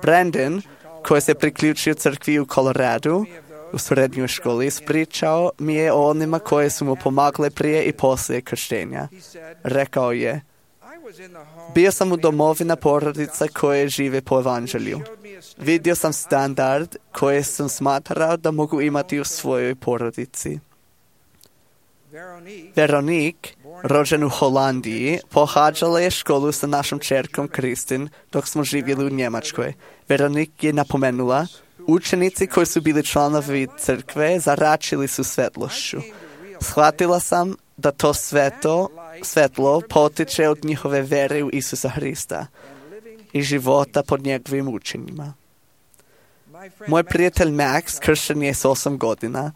Brandon, koji se priključio crkvi u Koloradu, u srednjoj školi, ispričao mi je o onima koje su mu pomagle prije i poslije krštenja. Rekao je, bio sam u domovina porodica koje žive po evanđelju. Vidio sam standard koje sam smatrao da mogu imati u svojoj porodici. Veronique, rođen u Holandiji, pohađala je školu sa našom čerkom Kristin dok smo živjeli u Njemačkoj. Veronique je napomenula, učenici koji su bili članovi crkve zaračili su svetlošću. Shvatila sam da to sveto, svetlo potiče od njihove vere u Isusa Hrista i života pod njegovim učenjima. Moj prijatelj Max kršten je s osam godina.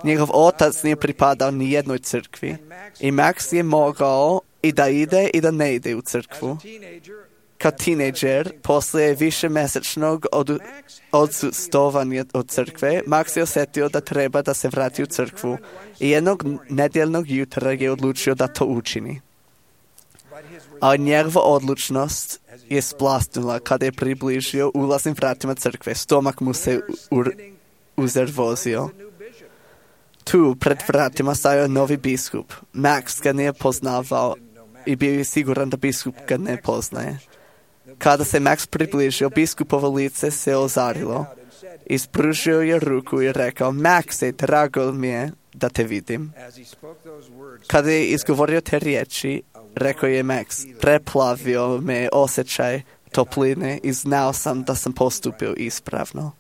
Njegov otac nije pripadao ni jednoj crkvi i Max je mogao i da ide i da ne ide u crkvu. Kao tinejdžer, poslije višemjesečnog od, odsustovanja od crkve, Max je osjetio da treba da se vrati u crkvu i jednog nedjeljnog jutra je odlučio da to učini. A njegova odlučnost je splasnula kada je približio ulaznim vratima crkve. Stomak mu se uzervozio. Tu, pred vratima, stajao novi biskup. Max ga nije poznavao i bio je siguran da biskup ga ne poznaje. Kada se Max približio, biskupovo lice se ozarilo. Ispružio je ruku i rekao, Maxe, drago mi je da te vidim. Kada je izgovorio te riječi, rekao je Max, preplavio me osjećaj topline i znao sam da sam postupio ispravno.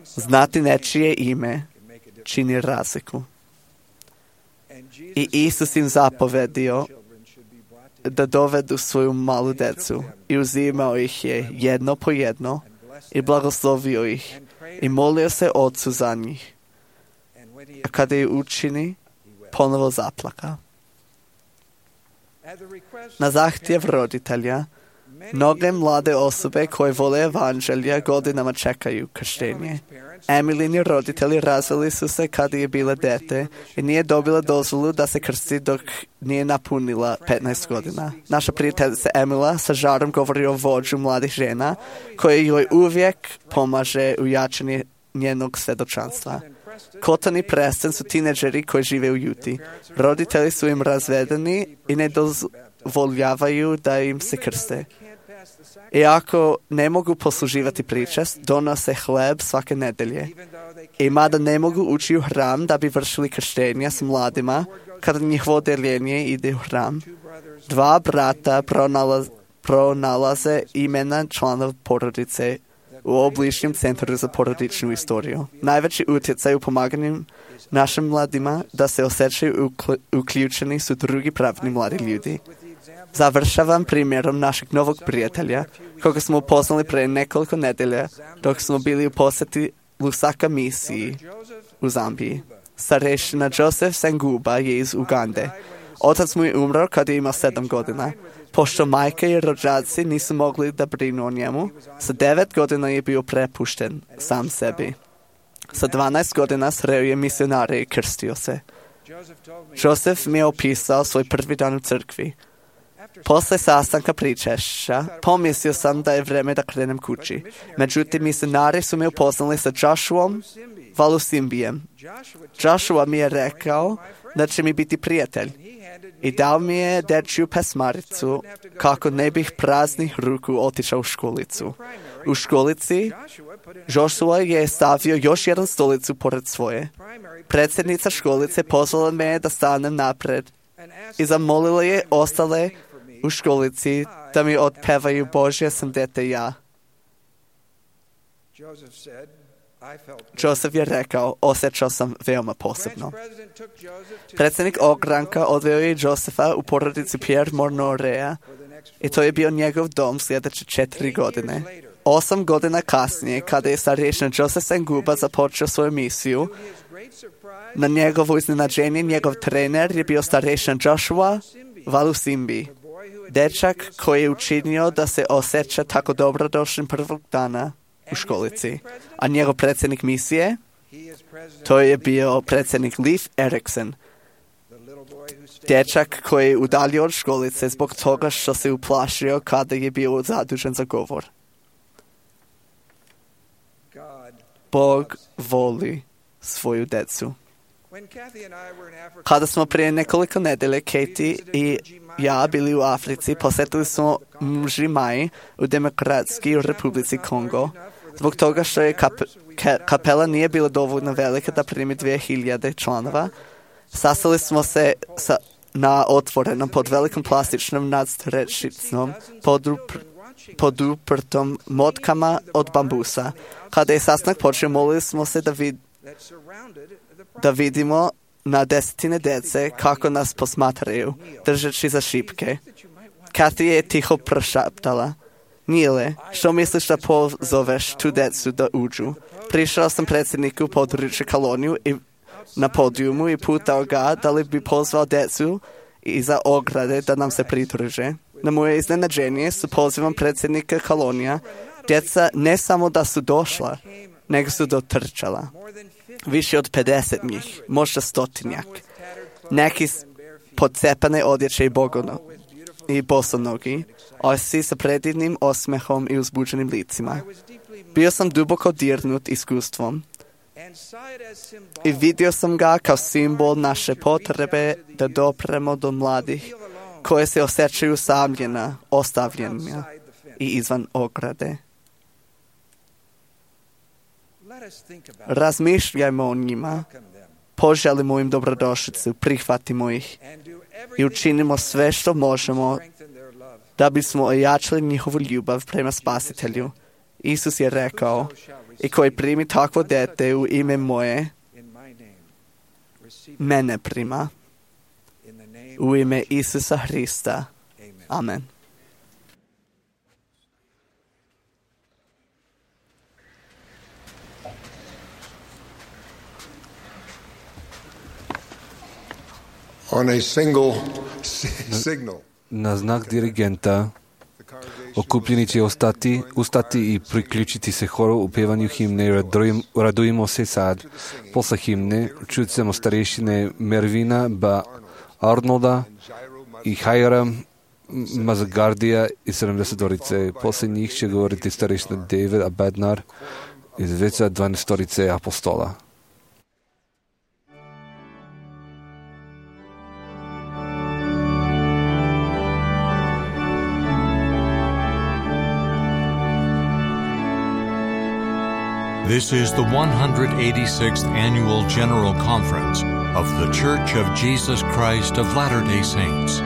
Znati nečije ime čini razliku. I Isus im zapovedio da dovedu svoju malu decu i uzimao ih je jedno po jedno i blagoslovio ih i molio se Otcu za njih. A kada je učini, ponovo zaplaka. Na zahtjev roditelja, mnoge mlade osobe koje vole evanđelja godinama čekaju krštenje. Emilini roditelji razveli su se kada je bila dete i nije dobila dozvolu da se krsti dok nije napunila petnaest godina. Naša prijateljica Emila sa žarom govori o vođu mladih žena koji joj uvijek pomaže u jačanju njenog svjedočanstva. Cotton i Preston su tineđeri koji žive u Juti. Roditelji su im razvedeni i ne dozvoljavaju da im se krste. Iako ne mogu posluživati pričest, donose hleb svake nedelje. I mada ne mogu ući u hram da bi vršili krštenja s mladima, kada njihovo deljenje ide u hram, dva brata pronalaz, pronalaze imena članova porodice u obližnjem centru za porodičnu istoriju. Najveći utjecaj u pomaganju našim mladima da se osjećaju uključeni su drugi pravni mladi ljudi. Završavam primjerom našeg novog prijatelja, koga smo upoznali pre nekoliko nedelja dok smo bili u posjeti Lusaka misiji u Zambiji. Starešina Joseph Senguba je iz Ugande. Otac mu je umro kad je imao sedam godina. Pošto majka i rođaci nisu mogli da brinu o njemu, sa devet godina je bio prepušten sam sebi. Sa dvanaest godina sreo je misionare i krstio se. Joseph mi je opisao svoj prvi dan u crkvi. Posle sastanka pričešća, pomislio sam da je vreme da krenem kući. Međutim, misionari su me upoznali sa Joshuom Valusimbijem. Joshua mi je rekao da će mi biti prijatelj i dao mi je dečju pesmaricu kako ne bih praznih ruku otišao u školicu. U školici Joshua je stavio još jedan stolicu pored svoje. Predsjednica školice pozvala me da stanem napred i zamolila je ostale u školici da mi otpevaju Božje sam dete ja. Joseph je rekao, osjećao sam veoma posebno. Predsjednik ogranka odveo je Josefa u porodici Pierre Mornorea i to je bio njegov dom sljedeće četiri godine. Osam godina kasnije, kada je starješina Joseph Senguba započeo svoju misiju, na njegovo iznenađenje njegov trener je bio starješina Joshua Valusimbi, dečak koji je učinio da se osjeća tako dobrodošlim prvog dana u školici. A njegov predsjednik misije, to je bio predsjednik Leif Erikson, dječak koji je udaljio od školice zbog toga što se uplašio kada je bio zadužen za govor. Bog voli svoju decu. Kada smo prije nekoliko nedelje, Katie i ja bili u Africi, posjetili smo Mžimai u Demokratskoj Republici Kongo, zbog toga što je kap, ka, kapela nije bila dovoljno velika da primi dvije hiljade članova. Sastali smo se sa, na otvorenom pod velikom plastičnom nadstrešicom podupr, poduprtom motkama od bambusa. Kada je sastanak počeo, molili smo se da, vid, da vidimo na desetine djece kako nas posmatraju, držeći za šipke. Kathy je tiho prošaptala, Nile, što misliš da pozoveš tu djecu da uđu? Prišao sam predsjedniku područja koloniju i na podijumu i pitao ga da li bi pozvao djecu iza ograde da nam se pridruže. Na moje iznenađenje su pozivom predsjednika kolonija, djeca ne samo da su došla, nego su dotrčala. Više od pedeset njih, možda stotinjak. Neki podcepane odjeće i, bogono, i bosonogi, a svi sa predivnim osmehom i uzbuđenim licima. Bio sam duboko dirnut iskustvom i vidio sam ga kao simbol naše potrebe da dopremo do mladih koje se osjećaju samljena, ostavljena i izvan ograde. Razmišljajmo o njima, poželimo im dobrodošlicu, prihvatimo ih i učinimo sve što možemo da bismo ojačali njihovu ljubav prema Spasitelju. Isus je rekao, i koji primi takvo dete u ime moje, mene prima. U ime Isusa Hrista. Amen. On a single signal. Na znak dirigenta okupljeni će ostati, ustati i priključiti se horu u pjevanju himne Radujmo se sad. Posle himne čućemo starešine Mervina ba Arnolda i Hajara Mazagardija iz sedamdesetorice. Posle njih će govoriti starešina David Abednar iz veća dvanaestorice apostola. This is the one hundred eighty-sixth Annual General Conference of The Church of Jesus Christ of Latter-day Saints.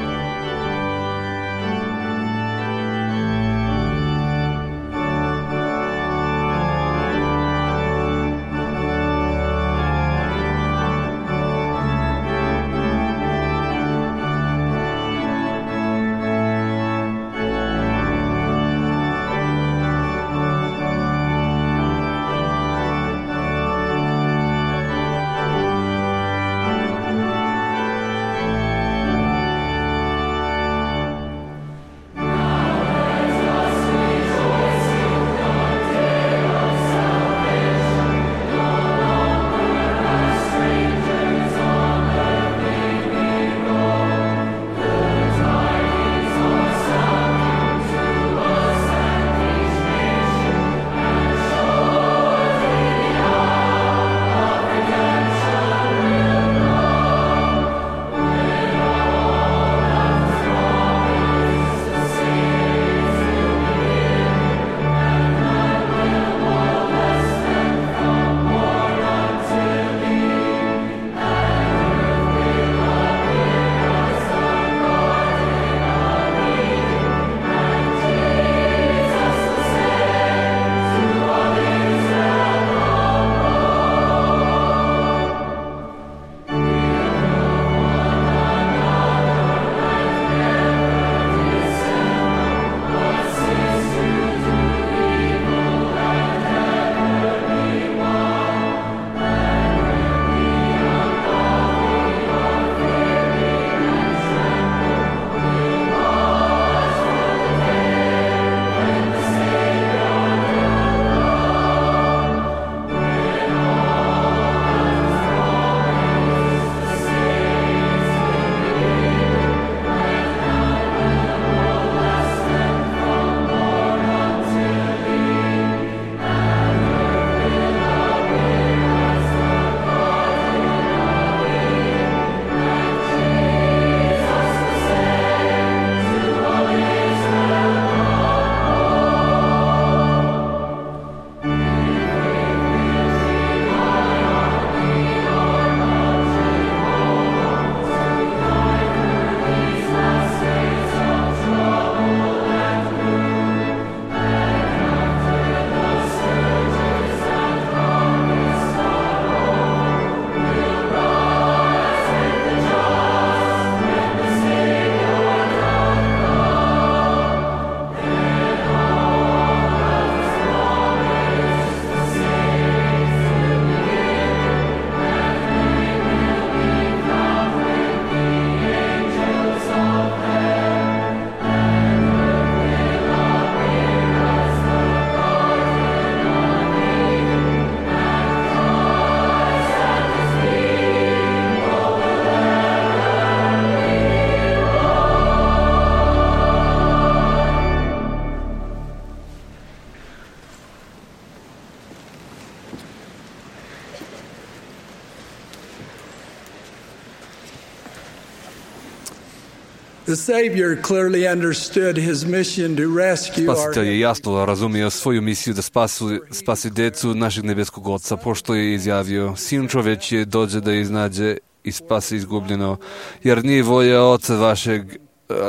Spasitelj je jasno razumio svoju misiju da spasu, spasi decu našeg nebeskog Oca, pošto je izjavio: Sin čovječji dođe da iznađe i spasi izgubljeno, jer nije volja Oca vašeg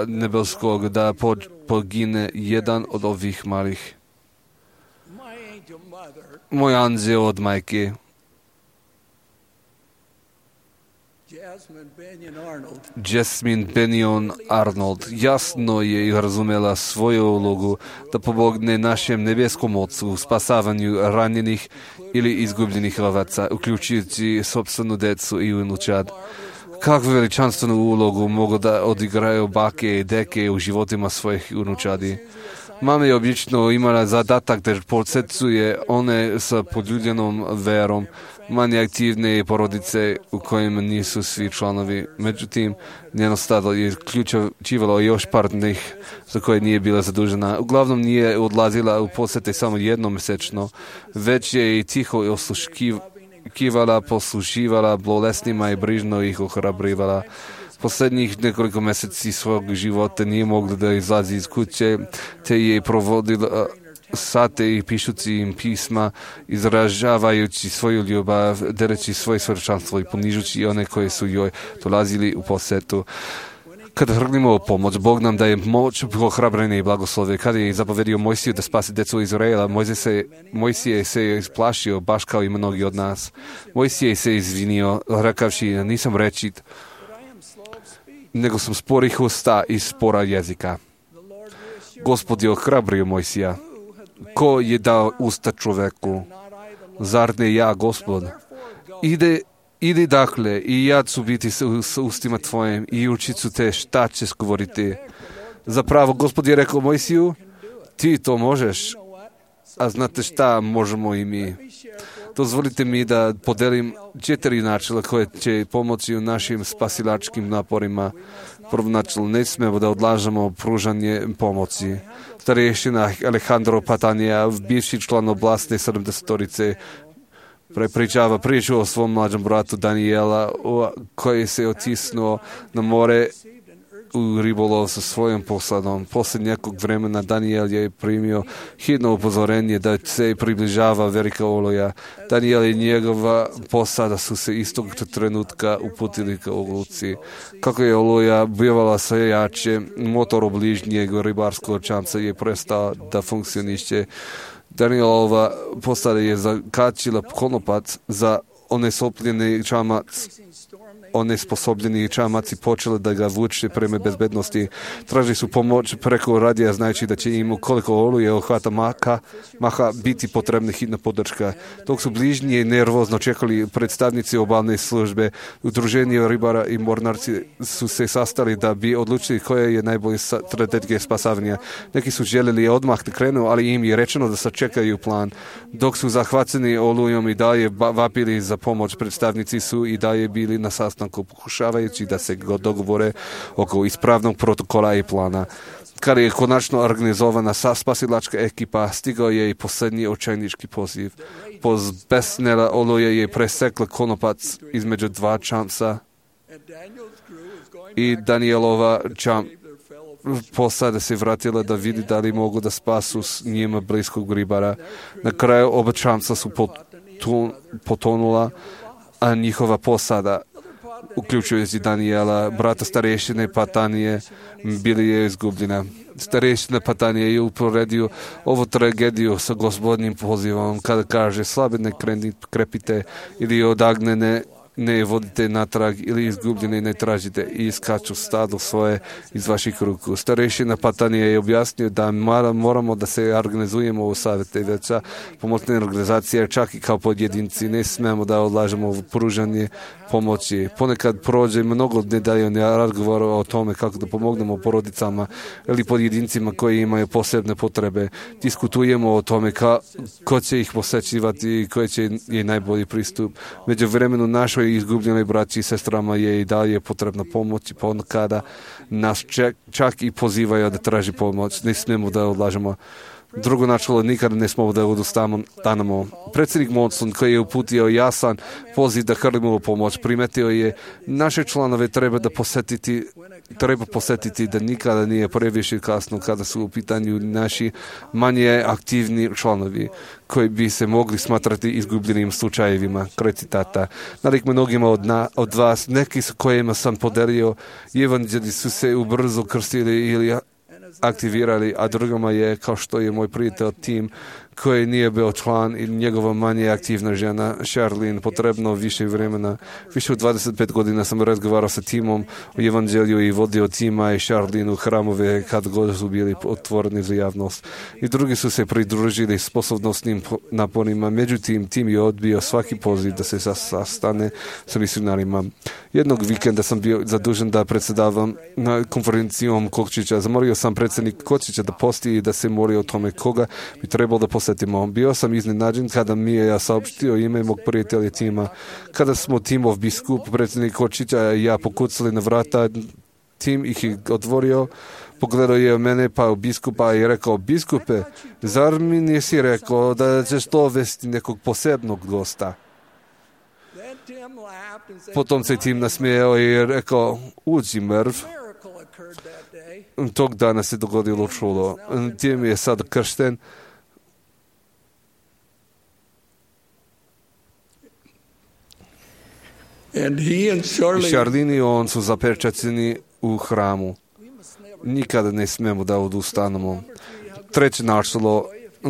nebeskog da pogine jedan od ovih malih. Moj anđeo od majke, Jasmine Bennion Arnold, jasno je i razumela svoju ulogu da pomogne našem nebeskom Ocu u spasavanju ranjenih ili izgubljenih ovaca, uključujući sopstvenu decu i unučad. Kakvu veličanstvenu ulogu mogu da odigraju bake i deke u životima svojih unučadi. Mama je obično imala zadatak da podsjećuje one sa poljuljenom verom, manje aktivne porodice u kojima nisu svi članovi. Međutim, njeno stado je uključivalo još par njih za koje nije bila zadužena. Uglavnom nije odlazila u posjete samo jednom mjesečno, već je i tiho osluškivala, poslušivala bolesnima i brižno ih ohrabrivala. Posljednjih nekoliko mjeseci svog života nije mogla da izlazi iz kuće, te je provodila sate i pišući im pisma, izražavajući svoju ljubav, dereći svoje svečanstvo i ponižući one koji su joj dolazili u posjetu. Kada hrlimo o pomoć, Bog nam daje moć, ohrabrenje i blagoslove. Kada je zapovedio Mojsiju da spasi decu Izraela, Mojsije se je isplašio, baš kao i mnogi od nas. Mojsije se izvinio, rekavši: nisam rečit, nego sam sporih usta i spora jezika. Gospod je ohrabrio Mojsija. Ko je dao usta čoveku? Zar ne ja, Gospod? Ide, ide dakle, i ja ću biti s ustima tvojim i učit ću te šta ćeš govoriti. Zapravo, Gospod je rekao Mojsiju: ti to možeš, a znate šta možemo i mi. Dozvolite mi da podelim četiri načela koje će pomoći u našim spasilačkim naporima. Prvo načelo, ne smemo da odlažemo pružanje pomoći. Starješina Alejandro Patanija, bivši član oblasti sedamdesetorice, prepričava priču o svom mlađem bratu Daniela, koji se otisnuo na more u ribolov sa svojom posadom. Poslije nekog vremena Daniel je primio hitno upozorenje da se približava velika oluja. Daniel i njegova posada su se istog trenutka uputili ka oluci. Kako je oluja bivala sve jače, motor bližnjeg ribarskog čamca je prestao da funkcioniše. Danielova posada je zakačila konopac za onesopljeni čamac. Onesposobljeni čamaci počeli da ga vuče prema bezbednosti. Tražili su pomoć preko radija, znajući da će im ukoliko oluje ohvata maha, maha biti potrebna hitna podrška. Dok su bližnji nervozno čekali predstavnici obalne službe, udruženje ribara i mornarci su se sastali da bi odlučili koja je najbolja strategija spasavanja. Neki su željeli odmah da krenu, ali im je rečeno da sačekaju plan. Dok su zahvaćeni olujom i dalje vapili za pomoć, predstavnici su i dalje bili na sastanku, pokušavajući da se dogovore oko ispravnog protokola i plana. Kada je konačno organizovana spasilačka ekipa, stigao je i posljednji očajnički poziv. Pozbesnela oluja je presekla konopac između dva čamca i Danielova čam posada se vratila da vidi da li mogu da spasu s njima bliskog ribara. Na kraju oba čamca su potonula, a njihova posada, uključujući Daniela, brata starešine Patanije, bili je izgubljena. Starešina Patanije je uporedio ovu tragediju sa Gospodnjim pozivom kada kaže: slabe ne krepite ili odagnene ne vodite natrag ili izgubljene ne tražite i iskaču stado svoje iz vaših ruku. Starešina Patanije je objasnio da moramo da se organizujemo u savjete veća pomoćne organizacije, čak i kao pojedinci. Ne smemo da odlažemo u pružanje pomoći. Ponekad prođe mnogo nedeljnih razgovora o tome kako da pomognemo porodicama ili pojedincima koji imaju posebne potrebe. Diskutujemo o tome ka, ko će ih posećivati i koji će je najbolji pristup. Među vremenu našoj izgubljenoj braći i sestrama je i dalje potrebna pomoć i ponekada nas čak, čak i pozivaju da traži pomoć. Ne smijemo da odlažemo. Drugo načelo, nikada ne smemo da odustanemo. Predsjednik Monson, koji je uputio jasan poziv da hrlimo pomoć, primetio je naše članove treba da posjetiti treba posjetiti da nikada nije previše kasno kada su u pitanju naši manje aktivni članovi koji bi se mogli smatrati izgubljenim slučajevima. Kraj citata. Nalik mnogima od, na, od vas, neki s kojima sam podelio evanđelji su se ubrzo krstili ili aktivirali, a drugima je, kao što je moj prijatelj Tim, koji nije bio član i njegova manje aktivna žena, Charlene, potrebno više vremena. Više od dvadeset pet godina sam razgovarao sa Timom o evanđelju i vodio Tima i Charlene u hramove kad god su bili otvoreni za javnost. I drugi su se pridružili sposobnostnim naporima. Međutim, Tim je odbio svaki poziv da se sastane sa misionarima. Jednog vikenda sam bio zadužen da predsjedavam na konferencijom Kočića. Zamolio sam predsjednik Kočića da posti i da se moli o tome koga bi trebalo da posjetimo. Bio sam iznenađen kada mi je ja saopštio ime mog prijatelja Tima. Kada smo Timov biskup, predsjednik Kočića i ja pokucali na vrata, Tim ih je otvorio, pogledao je u mene pa u biskupa i rekao: biskupe, zar mi nisi rekao da ćeš to vesti nekog posebnog gosta? Potom se Tim nasmijao i rekao: uđi mrv. Tog dana se dogodilo čudo. Tim je sad kršten. I Charlene i on su zapečaćeni u hramu. Nikada ne smemo da odustanemo. Treće načelo,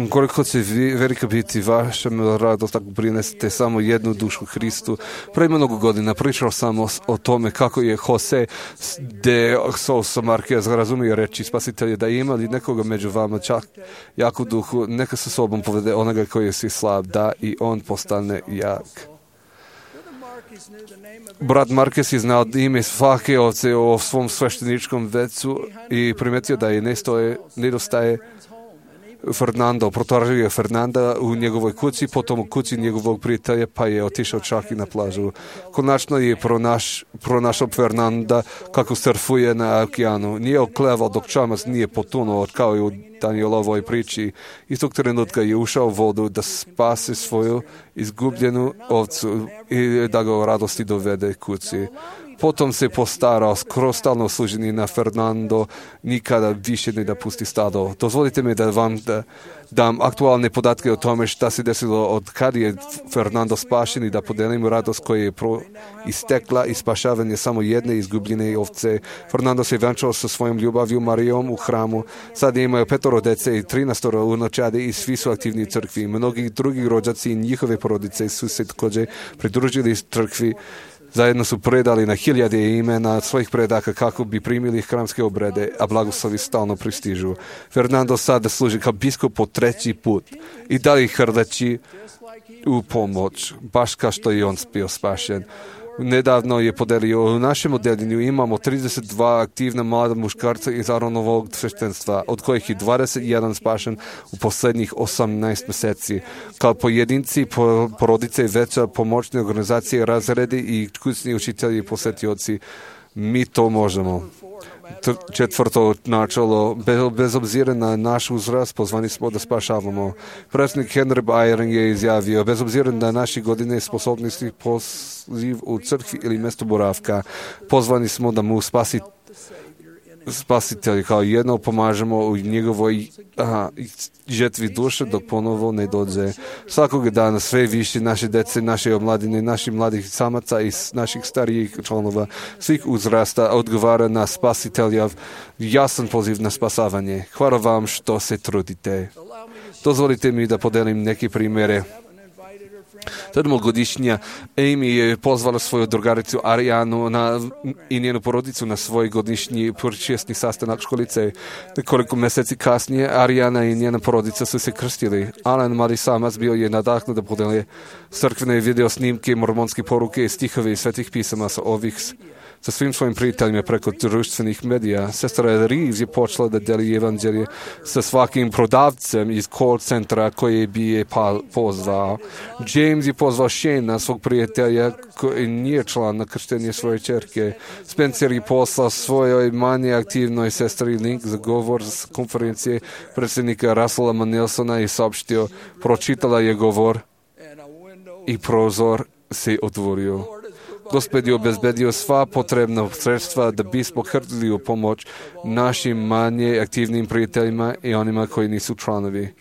koliko će velika biti vaša radost ako prinesete samo jednu dušu Hristu. Pre mnogo godina pričao sam o, o tome kako je Jose de Sousa Marquez razumio reći spasitelja da ima li nekoga među vama čak jaku duhu, neka sa sobom povede onoga koji je si slab, da i on postane jak. Brat Marquez je znao ime svake ovce o svom svešteničkom vecu i primetio da je nestoje, nedostaje Fernando. Protražio je Fernanda u njegovoj kući, potom u kući njegovog prijatelja, pa je otišao čak i na plažu. Konačno je pronaš, pronašao Fernanda kako surfuje na okeanu. Nije oklevao dok čamac nije potonuo, kao i u Danielovoj priči. Istog trenutka je ušao u vodu da spase svoju izgubljenu ovcu i da ga u radosti dovede kući. Potom se postarao skoro stalno služeni na Fernando, nikada više ne da pusti stado. Dozvolite mi da vam da, dam aktualne podatke o tome šta se desilo od kad je Fernando spašen i da podelim radost koja je pro istekla i spašavanje samo jedne izgubljene ovce. Fernando se venčao sa svojom ljubavju Marijom u hramu. Sad imaju petoro dece i trinaestoro unučadi i svi su aktivni u crkvi. Mnogi drugi rođaci i njihove porodice su se također pridružili crkvi. Zajedno su predali na hiljade imena svojih predaka kako bi primili hramske obrede, a blagoslovi stalno pristižu. Fernando sada služi kao biskup po treći put i dalje hrleći u pomoć, baš kao što je on bio spašen. Nedavno je podelio, u našem odeljenju imamo trideset dva aktivna mlada muškarca iz Aronovog sveštenstva, od kojih je dvadeset jedan spašen u posljednjih osamnaest mjeseci. Kao pojedinci, porodice i veća pomoćne organizacije, razredi i kućni učitelji i posjetioci, mi to možemo. Četvrto načelo, bez, bez obzira na naš uzrast, pozvani smo da spašavamo. Predsjednik Henry Eyring je izjavio, bez obzira na naše godine sposobnosti poziv u crkvi ili mjesto boravka, pozvani smo da mu spasi spasitelj kao jedno pomažemo u njegovoj aha, žetvi duše dok ponovo ne dođe. Svakog dana sve više naše dece, naše omladine, naših mladih samaca i naših starijih članova svih uzrasta odgovara na spasiteljav jasan poziv na spasavanje. Hvala vam što se trudite. Dozvolite mi da podelim neke primjere. Sedmogodišnja Amy je pozvala svoju drugaricu Arijanu na, i njenu porodicu na svoj godišnji počesni sastanak školice. Nekoliko mjeseci kasnije Arijana i njena porodica su se krstili. Alan, mladi samac, bio je nadahnut da podelje crkvene video snimke, mormonske poruke i stihove i svetih pisama sa ovih sa svim svojim prijateljima preko društvenih medija. Sestra Reeves je počela da deli evanđelje sa svakim prodavcem iz call centra koji bi je pozvao. James je pozvao Shane, svog prijatelja, koji nije član na krštenje svoje čerke. Spencer je poslao svojoj manje aktivnoj sestri link za govor s konferencije predsjednika Russella Nelsona i saopštio, pročitala je govor i prozor se otvorio. Gospod je obezbedio sva potrebna sredstva da bismo hrlili u pomoć našim manje aktivnim prijateljima i onima koji nisu članovi.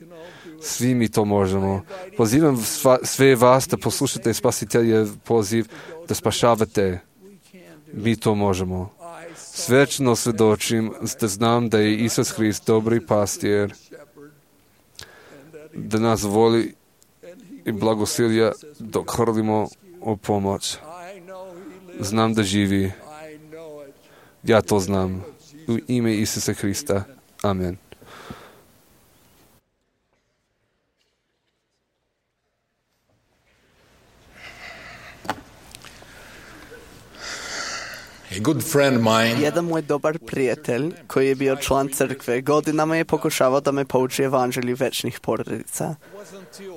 Svi mi to možemo. Pozivam sva, sve vas da poslušate spasiteljev poziv da spašavate. Mi to možemo. Svečno svjedočim da znam da je Isus Hrist dobri pastir, da nas voli i blagosilja dok hrlimo u pomoć. Znam da živi. Ja to znam. U ime Isusa Hrista. Amen. A good friend mine, Jedan moj dobar prijatelj, koji je bio član crkve, godinama je pokušavao da me pouči evanđelju večnih porodica.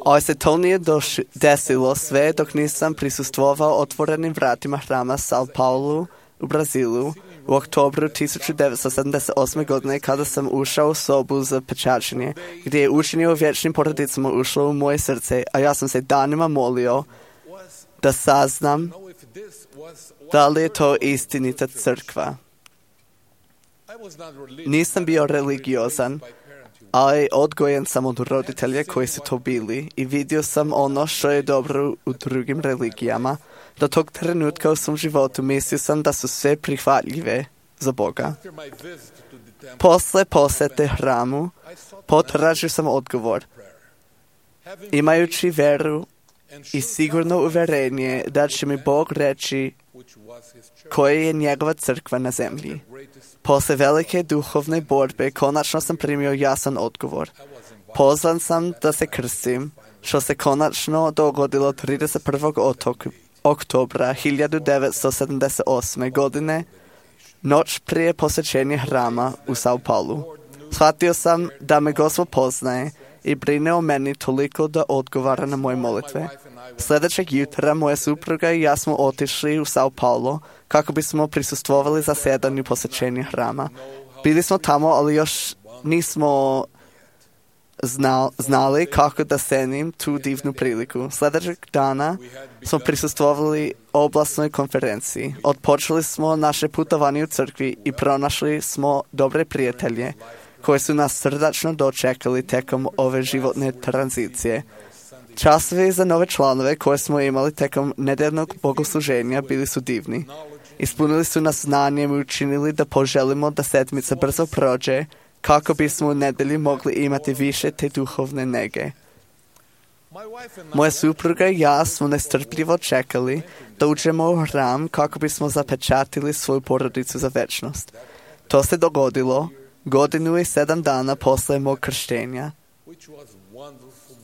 Ali se to nije doš- desilo sve dok nisam prisustvovao otvorenim vratima hrama Sao Paulo u Brazilu u oktobru tisuću devetsto sedamdeset osme. godine, kada sam ušao u sobu za pečačenje, gdje je učenje o vječnim porodicama ušlo u moje srce, a ja sam se danima molio da saznam da li je to istinita crkva. Nisam bio religiozan, ali odgojen sam od roditelja koji su to bili i vidio sam ono što je dobro u drugim religijama. Do tog trenutka u svom životu mislio sam da su sve prihvatljive za Boga. Posle posete hramu potražio sam odgovor. Imajući veru i sigurno uverenje da će mi Bog reći koja je njegova crkva na zemlji. Posle velike duhovne borbe konačno sam primio jasan odgovor. Pozvan sam da se krstim, što se konačno dogodilo trideset prvog oktobra hiljadu devetsto sedamdeset osme. godine, noć prije posvećenja hrama u Sao Paulu. Shvatio sam da me Gospod poznaje i brine o meni toliko da odgovara na moje molitve. Sljedećeg jutra moja supruga i ja smo otišli u Sao Paulo kako bismo prisustvovali zasedanju posvećenja hrama. Bili smo tamo, ali još nismo znal, znali kako da cenim tu divnu priliku. Sljedećeg dana smo prisustvovali oblasnoj konferenciji. Odpočeli smo naše putovanje u crkvi i pronašli smo dobre prijatelje koji su nas srdačno dočekali tekom ove životne tranzicije. Časovi za nove članove koje smo imali tekom nedeljnog bogosluženja bili su divni. Ispunili su nas znanjem i učinili da poželimo da sedmica brzo prođe kako bismo u nedelji mogli imati više te duhovne nege. Moja supruga i ja smo nestrpljivo čekali da uđemo u hram kako bismo zapečatili svoju porodicu za večnost. To se dogodilo godinu i sedam dana posle mog krštenja,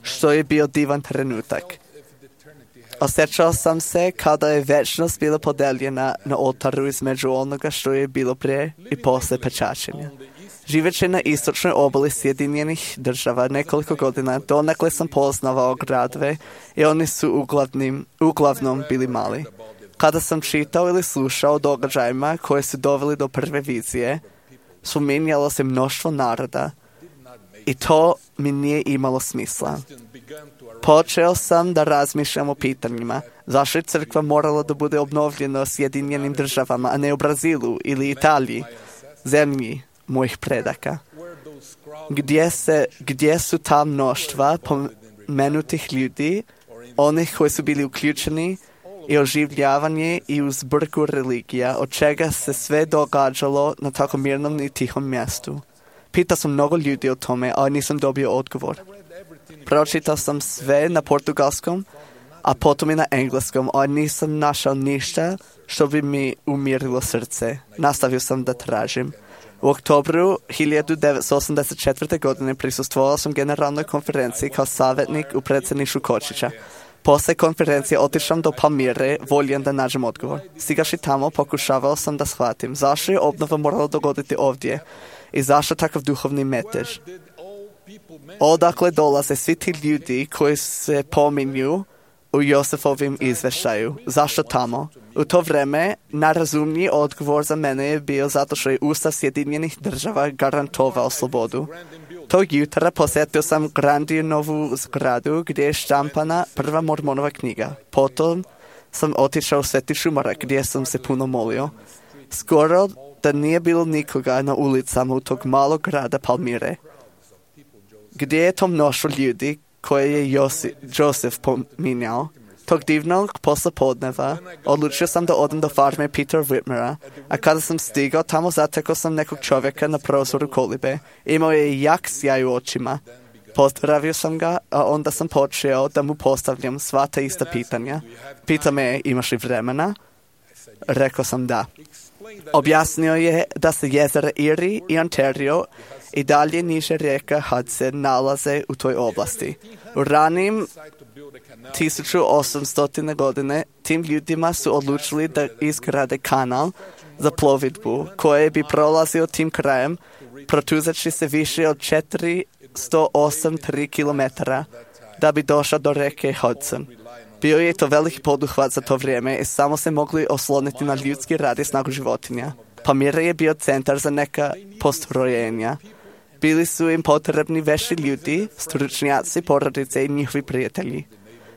što je bio divan trenutak. Osjećao sam se kada je večnost bila podeljena na oltaru između onoga što je bilo prije i posle pečačenja. Živeći na istočnoj obali Sjedinjenih država nekoliko godina, donekle sam poznavao gradove i oni su uglavnim, uglavnom bili mali. Kada sam čitao ili slušao o događajima koje su doveli do prve vizije, spominjalo se mnoštvo naroda i to mi nije imalo smisla. Počeo sam da razmišljam o pitanjima zašto je crkva morala da bude obnovljena u Sjedinjenim državama, a ne u Brazilu ili Italiji, zemlji mojih predaka. Gdje, se, gdje su ta mnoštva pomenutih ljudi, onih koji su bili uključeni i oživljavanje i u zbrku religija, od čega se sve događalo na tako mirnom i tihom mjestu. Pitao sam mnogo ljudi o tome, ali nisam dobio odgovor. Pročitao sam sve na portugalskom, a potom i na engleskom, ali nisam našao ništa što bi mi umirilo srce. Nastavio sam da tražim. U oktobru hiljadu devetsto osamdeset četvrte. godine prisustvovao sam generalnoj konferenciji kao savjetnik u predsjedništvu Kočića. Posle konferencije otišao do Palmire, voljen da nađem odgovor. Stigaši tamo, pokušavao sam da shvatim zašto je obnova morala dogoditi ovdje i zašto takav duhovni metež. Odakle dolaze svi ti ljudi koji se pominju u Josefovim izveštaju. Zašto tamo? U to vreme najrazumniji odgovor za mene je bio zato što je Ustav Sjedinjenih država garantovao slobodu. Tog jutra posjetio sam Grandinovu zgradu gdje je štampana prva Mormonova knjiga. Potom sam otišao u Sveti Šumarak gdje sam se puno molio. Skoro da nije bilo nikoga na ulicama u tog malog grada Palmire. Gdje je to mnoštvo ljudi koje je Josi, Josef pominjao? Tog divnog poslepodneva odlučio sam da odem do farme Peter Whitmera, a kada sam stigao tamo zatekao sam nekog čovjeka na prozoru kolibe. Imao je jak sjaj u očima. Pozdravio sam ga, a onda sam počeo da mu postavljam sva ta ista pitanja. Pita me, imaš li vremena? Rekao sam da. Objasnio je da se jezera Erie i Ontario i dalje niže rijeka Hudson nalaze u toj oblasti. U ranim tisuću osamstotine godine tim ljudima su odlučili da izgrade kanal za plovidbu koje bi prolazio tim krajem, protuzeći se više od četiristo osam zarez tri kilometara da bi došao do reke Hudson. Bio je to veliki poduhvat za to vrijeme i samo se mogli osloniti na ljudski rad i snagu životinja. Palmira je bio centar za neka postrojenja. Bili su im potrebni vešti ljudi, stručnjaci, porodice i njihovi prijatelji.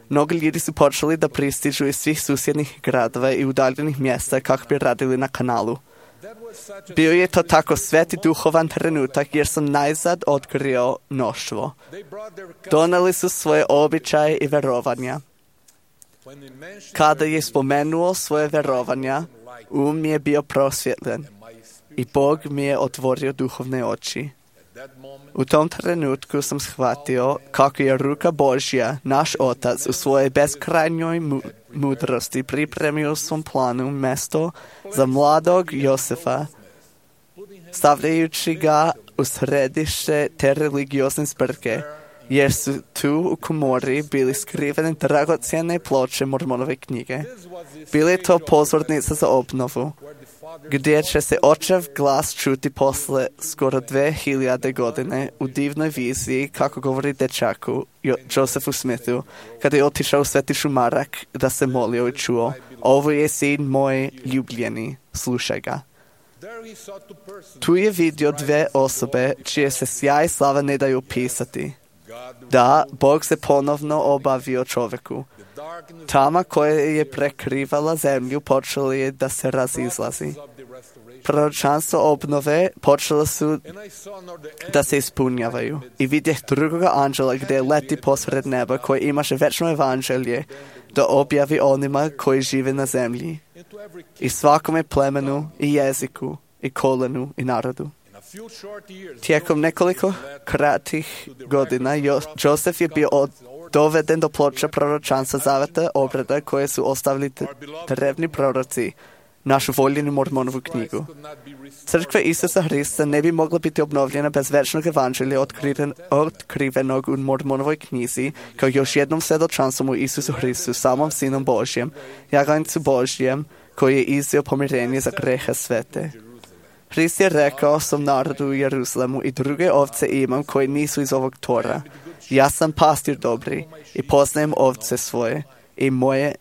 Mnogi ljudi su počeli da pristižu iz svih susjednih gradova i udaljenih mjesta kako bi radili na kanalu. Bio je to tako sveti duhovan trenutak jer sam najzad otkrio mnoštvo. Doneli su svoje običaje i verovanja. Kada je spomenuo svoje verovanja, um mi je bio prosvjetljen i Bog mi je otvorio duhovne oči. U tom trenutku sam shvatio kako je ruka Božja, naš Otac, u svojoj beskrajnjoj mu- mudrosti pripremio u svom planu mjesto za mladog Josefa, stavljajući ga u središte te religiozne zbrke, jer su tu u komori bili skrivene dragocjene ploče Mormonove knjige. Bili je to pozornica za obnovu, gdje će se očev glas čuti posle skoro dve hiljade godine u divnoj viziji, kako govori dečaku jo- Josephu Smithu, kada je otišao u Sveti Šumarak da se molio i čuo: ovo je sin moj ljubljeni, slušaj ga. Tu je vidio dve osobe čije se sjaj i slava ne daju opisati. Da, Bog se ponovno obavio čovjeku. Tama koja je prekrivala zemlju počela je da se razizlazi. Proročanstvo obnove počela su da se ispunjavaju. I vidjeh drugoga anđela gdje leti posred neba koji imaše večno evanđelje da objavi onima koji žive na zemlji. I svakome plemenu i jeziku i kolenu i narodu. Tijekom nekoliko kratkih godina jo- Josef je bio od, doveden do ploča proročanstva zaveta obrada koje su ostavili t- drevni proroci, našu voljenu Mormonovu knjigu. Crkva Isusa Hrista ne bi mogla biti obnovljena bez večnog evanđelja otkriven, otkrivenog u Mormonovoj knjizi kao još jednom svjedočanstvom u Isusu Hristu, samom Sinom Božjem, jaganjcu Božjem koji je iznio pomirenje za grehe svete. Hrist je rekao svom narodu u Jeruzalemu: i druge ovce imam koje nisu iz ovog tora. Ja sam pastir dobri i poznajem ovce svoje i moje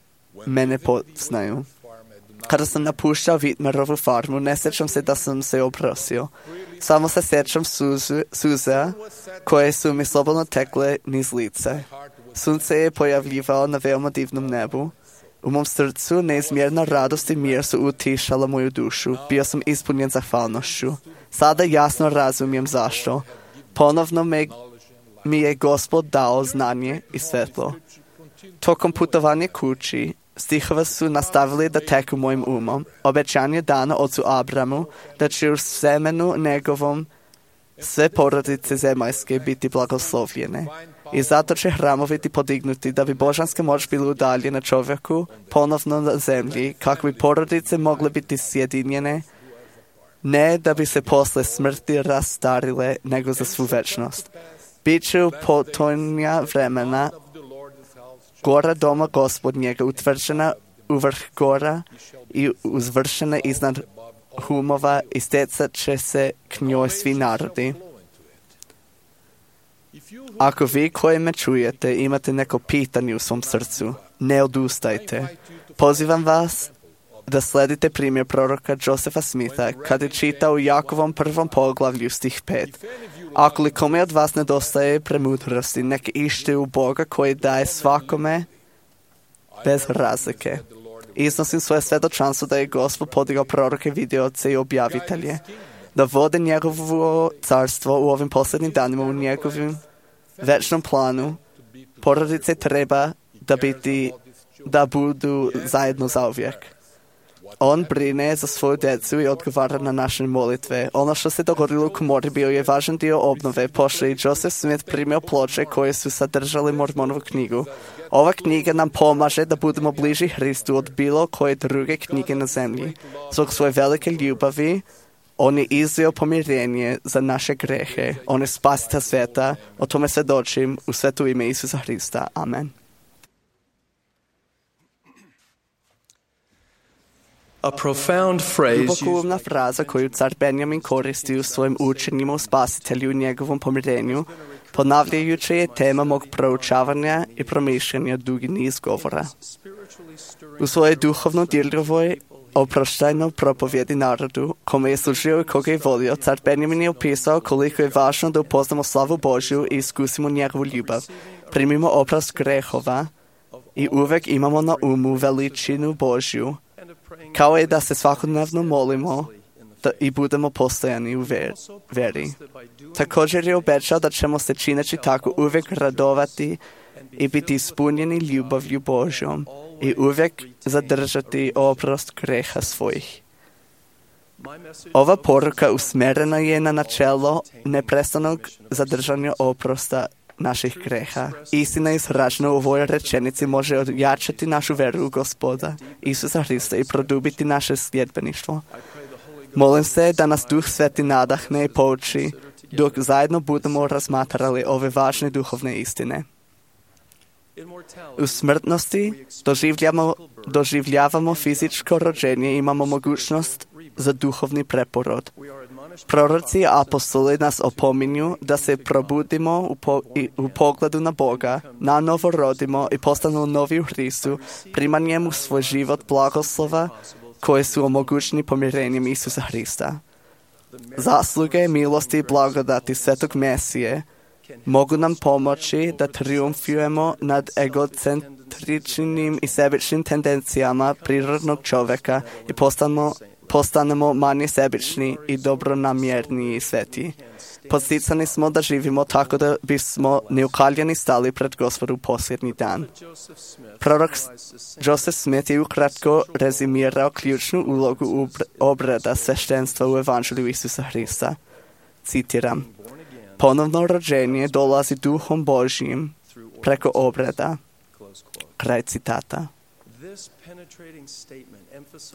mene poznaju. Kada sam napuštao Whitmerovu farmu, ne sjećam se da sam se oprosio. Samo se sjećam suzu, suza koje su mi slobodno tekle niz lice. Sunce je pojavljivao na veoma divnom nebu. U mom srcu neizmjerna radost i mir su utišala moju dušu. Bio sam ispunjen zahvalnošću. Sada jasno razumijem zašto. Ponovno me, mi je Gospod dao znanje i svetlo. Tokom putovanja kući, stihova su nastavili da teku mojim umom. Obećanje dano ocu Abramu da će u semenu njegovom sve porodice zemaljske biti blagoslovljene. I zato će hramovi biti podignuti da bi božanska moć bila udaljena čovjeku ponovno na zemlji, kako bi porodice mogle biti sjedinjene, ne da bi se posle smrti rastarile, nego za svu večnost. Biće u potonja vremena gora doma Gospodnjega utvrđena u vrh gora i uzvršena iznad humova i stecat će se k njoj svi narodi. Ako vi koji me čujete imate neko pitanje u svom srcu, ne odustajte. Pozivam vas da sledite primjer proroka Josefa Smitha kad je čitao u Jakovom prvom poglavlju stih pet. Ako li kome od vas nedostaje premudrosti, neka ište u Boga koji daje svakome bez razlike. Iznosim svoje svedočanstvo da je Gospod podigao proroke, vidioce i objavitelje, da vode njegovo carstvo u ovim posljednjim danima, u njegovim večnom planu. Porodice treba da biti, da budu zajedno zauvijek. On brine za svoju djecu i odgovara na naše molitve. Ono što se dogodilo u komori bio je važan dio obnove. Pošto je Joseph Smith primio ploče koje su sadržali Mormonovu knjigu. Ova knjiga nam pomaže da budemo bliži Hristu od bilo koje druge knjige na zemlji. Zbog svoje velike ljubavi, on je izveo pomirenje za naše grehe. On je spasitelj sveta. O tome svjedočim u sveto ime Isusa Hrista. Amen. A profound phrase Dubokoumna fraza koju car Benjamin koristi u svojim učenjima o spasitelju i njegovom pomirenju, ponavljajući je tema mog proučavanja i promišljanja dugi niz govora. U svojoj duhovno dirljivoj oproštajnoj propovjedi narodu, kome je služio i koga je volio, car Benjamin je opisao koliko je važno da upoznamo slavu Božju i iskusimo njegovu ljubav, primimo oprost grehova i uvek imamo na umu veličinu Božju, kao je da se svakodnevno molimo da i budemo postojani u veri. Također je obećao da ćemo se čineći tako uvijek radovati i biti ispunjeni ljubavlju Božjom i uvijek zadržati oprost greha svojih. Ova poruka usmjerena je na načelo neprestanog zadržanja oprosta naših greha. Istina izražena u ovoj rečenici može ojačati našu veru u Gospoda Isusa Hrista i produbiti naše sljedbeništvo. Molim se da nas Duh Sveti nadahne i pouči dok zajedno budemo razmatrali ove važne duhovne istine. U smrtnosti doživljavamo, doživljavamo fizičko rođenje i imamo mogućnost za duhovni preporod. Proroci i apostoli nas opominju da se probudimo u, po, i, u pogledu na Boga, na novo rodimo i postanemo novi u Hristu, primanjem u svoj život blagoslova koje su omogućeni pomirenjem Isusa Hrista. Zasluge, milosti i blagodati Svetog Mesije mogu nam pomoći da triumfujemo nad egocentričnim i sebičnim tendencijama prirodnog čovjeka i postanemo postanemo manje sebični i dobronamjerni i sveti. Podsticani smo da živimo tako da bismo neukaljeni stali pred Gospodu u posljednji dan. Prorok Joseph Smith je ukratko rezimirao ključnu ulogu obreda sveštenstva u Evanđelju Isusa Hrista. Citiram: ponovno rođenje dolazi Duhom Božjim preko obreda. Kraj citata.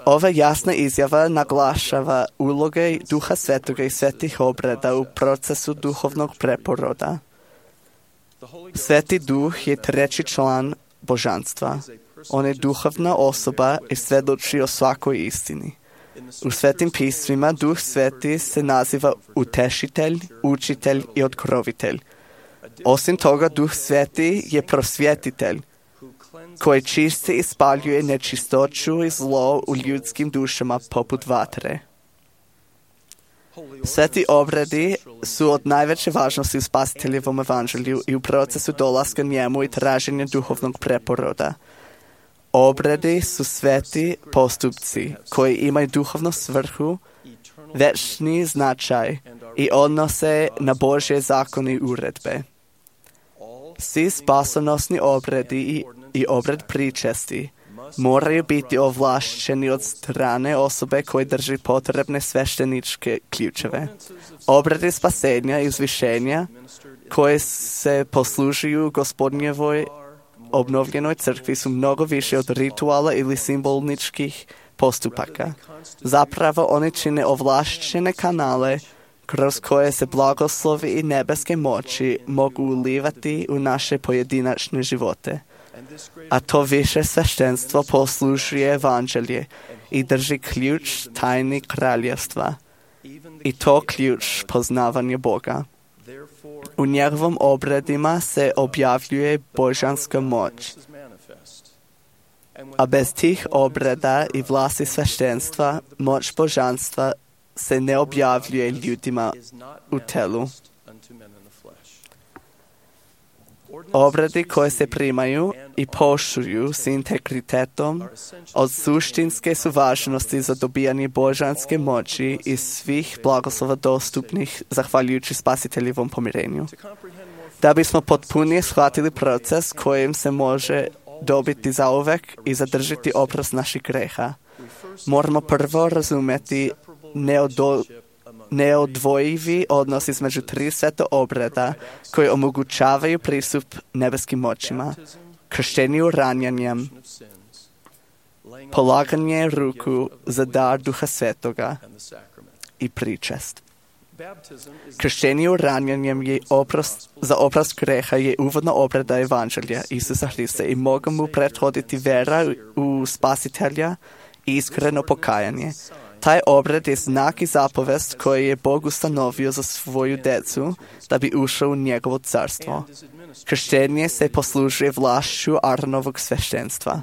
Ova jasna izjava naglašava uloge Duha Svetoga i svetih obreda u procesu duhovnog preporoda. Sveti Duh je treći član božanstva. On je duhovna osoba i svjedoči o svakoj istini. U svetim pismima Duh Sveti se naziva utešitelj, učitelj i otkrovitelj. Osim toga, Duh Sveti je prosvjetitelj, koji čisti i spaljuje nečistoću i zlo u ljudskim dušama poput vatre. Sveti obredi su od najveće važnosti u spasiteljevom evanđelju i u procesu dolaska njemu i traženja duhovnog preporoda. Obredi su sveti postupci koji imaju duhovnu svrhu, večni značaj i odnose na Božje zakone i uredbe. Svi spasonosni obredi i, i obred pričesti moraju biti ovlašćeni od strane osobe koje drži potrebne svešteničke ključeve. Obredi spasenja i uzvišenja koje se poslužuju Gospodnjevoj obnovljenoj crkvi su mnogo više od rituala ili simboličkih postupaka. Zapravo oni čine ovlašćene kanale kroz koje se blagoslovi i nebeske moći mogu ulivati u naše pojedinačne živote. A to više sveštenstvo poslužuje evanđelje i drži ključ tajni kraljevstva. I to ključ poznavanja Boga. U njegovom obredima se objavljuje božanska moć. A bez tih obreda i vlasti sveštenstva, moć božanstva se ne objavljuje ljudima u telu. Obredi koje se primaju i poštuju s integritetom od suštinske su važnosti za dobijanje božanske moći i svih blagoslova dostupnih zahvaljujući spasiteljevom pomirenju. Da bismo potpunije shvatili proces kojim se može dobiti zauvek i zadržati oprost naših greha, moramo prvo razumjeti neodo neodvojivi odnos između tri sveta obreda koji omogućavaju pristup nebeskim moćima, krštenju ranjanjem, polaganje ruku za dar Duha Svetoga i pričest. Krštenju ranjanjem je oprost, za oprost greha je uvodna obreda Evanđelja Isusa Hrista i mogu mu prethoditi vera u Spasitelja i iskreno pokajanje. Taj obred je znak i zapovest koji je Bog ustanovio za svoju decu da bi ušao u njegovo carstvo. Krštenje se poslužuje vlašću Aronovog sveštenstva.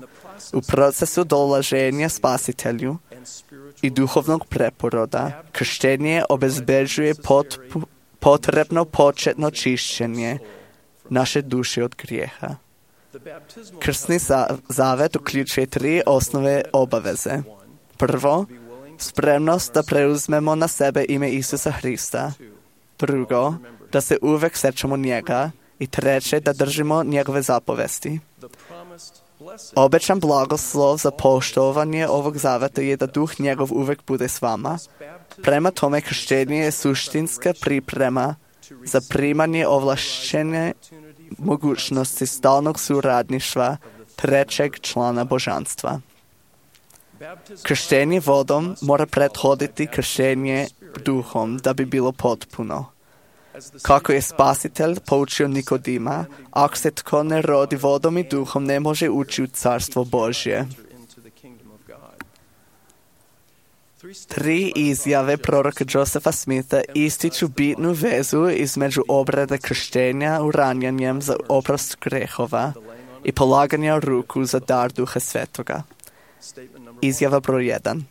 U procesu dolaženja Spasitelju i duhovnog preporoda, krštenje obezbeđuje potpu, potrebno početno čišćenje naše duše od grijeha. Krstni zavet uključuje tri osnove obaveze. Prvo, spremnost da preuzmemo na sebe ime Isusa Hrista. Drugo, da se uvek sećamo njega. I treće, da držimo njegove zapovesti. Obećan blagoslov za poštovanje ovog zaveta je da duh njegov uvek bude s vama. Prema tome, krštenje je suštinska priprema za primanje ovlašćene mogućnosti stalnog suradništva trećeg člana božanstva. Krštenje vodom mora prethoditi krštenje duhom da bi bilo potpuno. Kako je Spasitelj poučio Nikodima, ako se tko ne rodi vodom i duhom, ne može ući u carstvo Božje. Tri izjave proroka Josepha Smitha ističu bitnu vezu između obrede krštenja uranjanjem za oprost grehova i polaganja ruku za dar Duha Svetoga. Izjava broj jedan.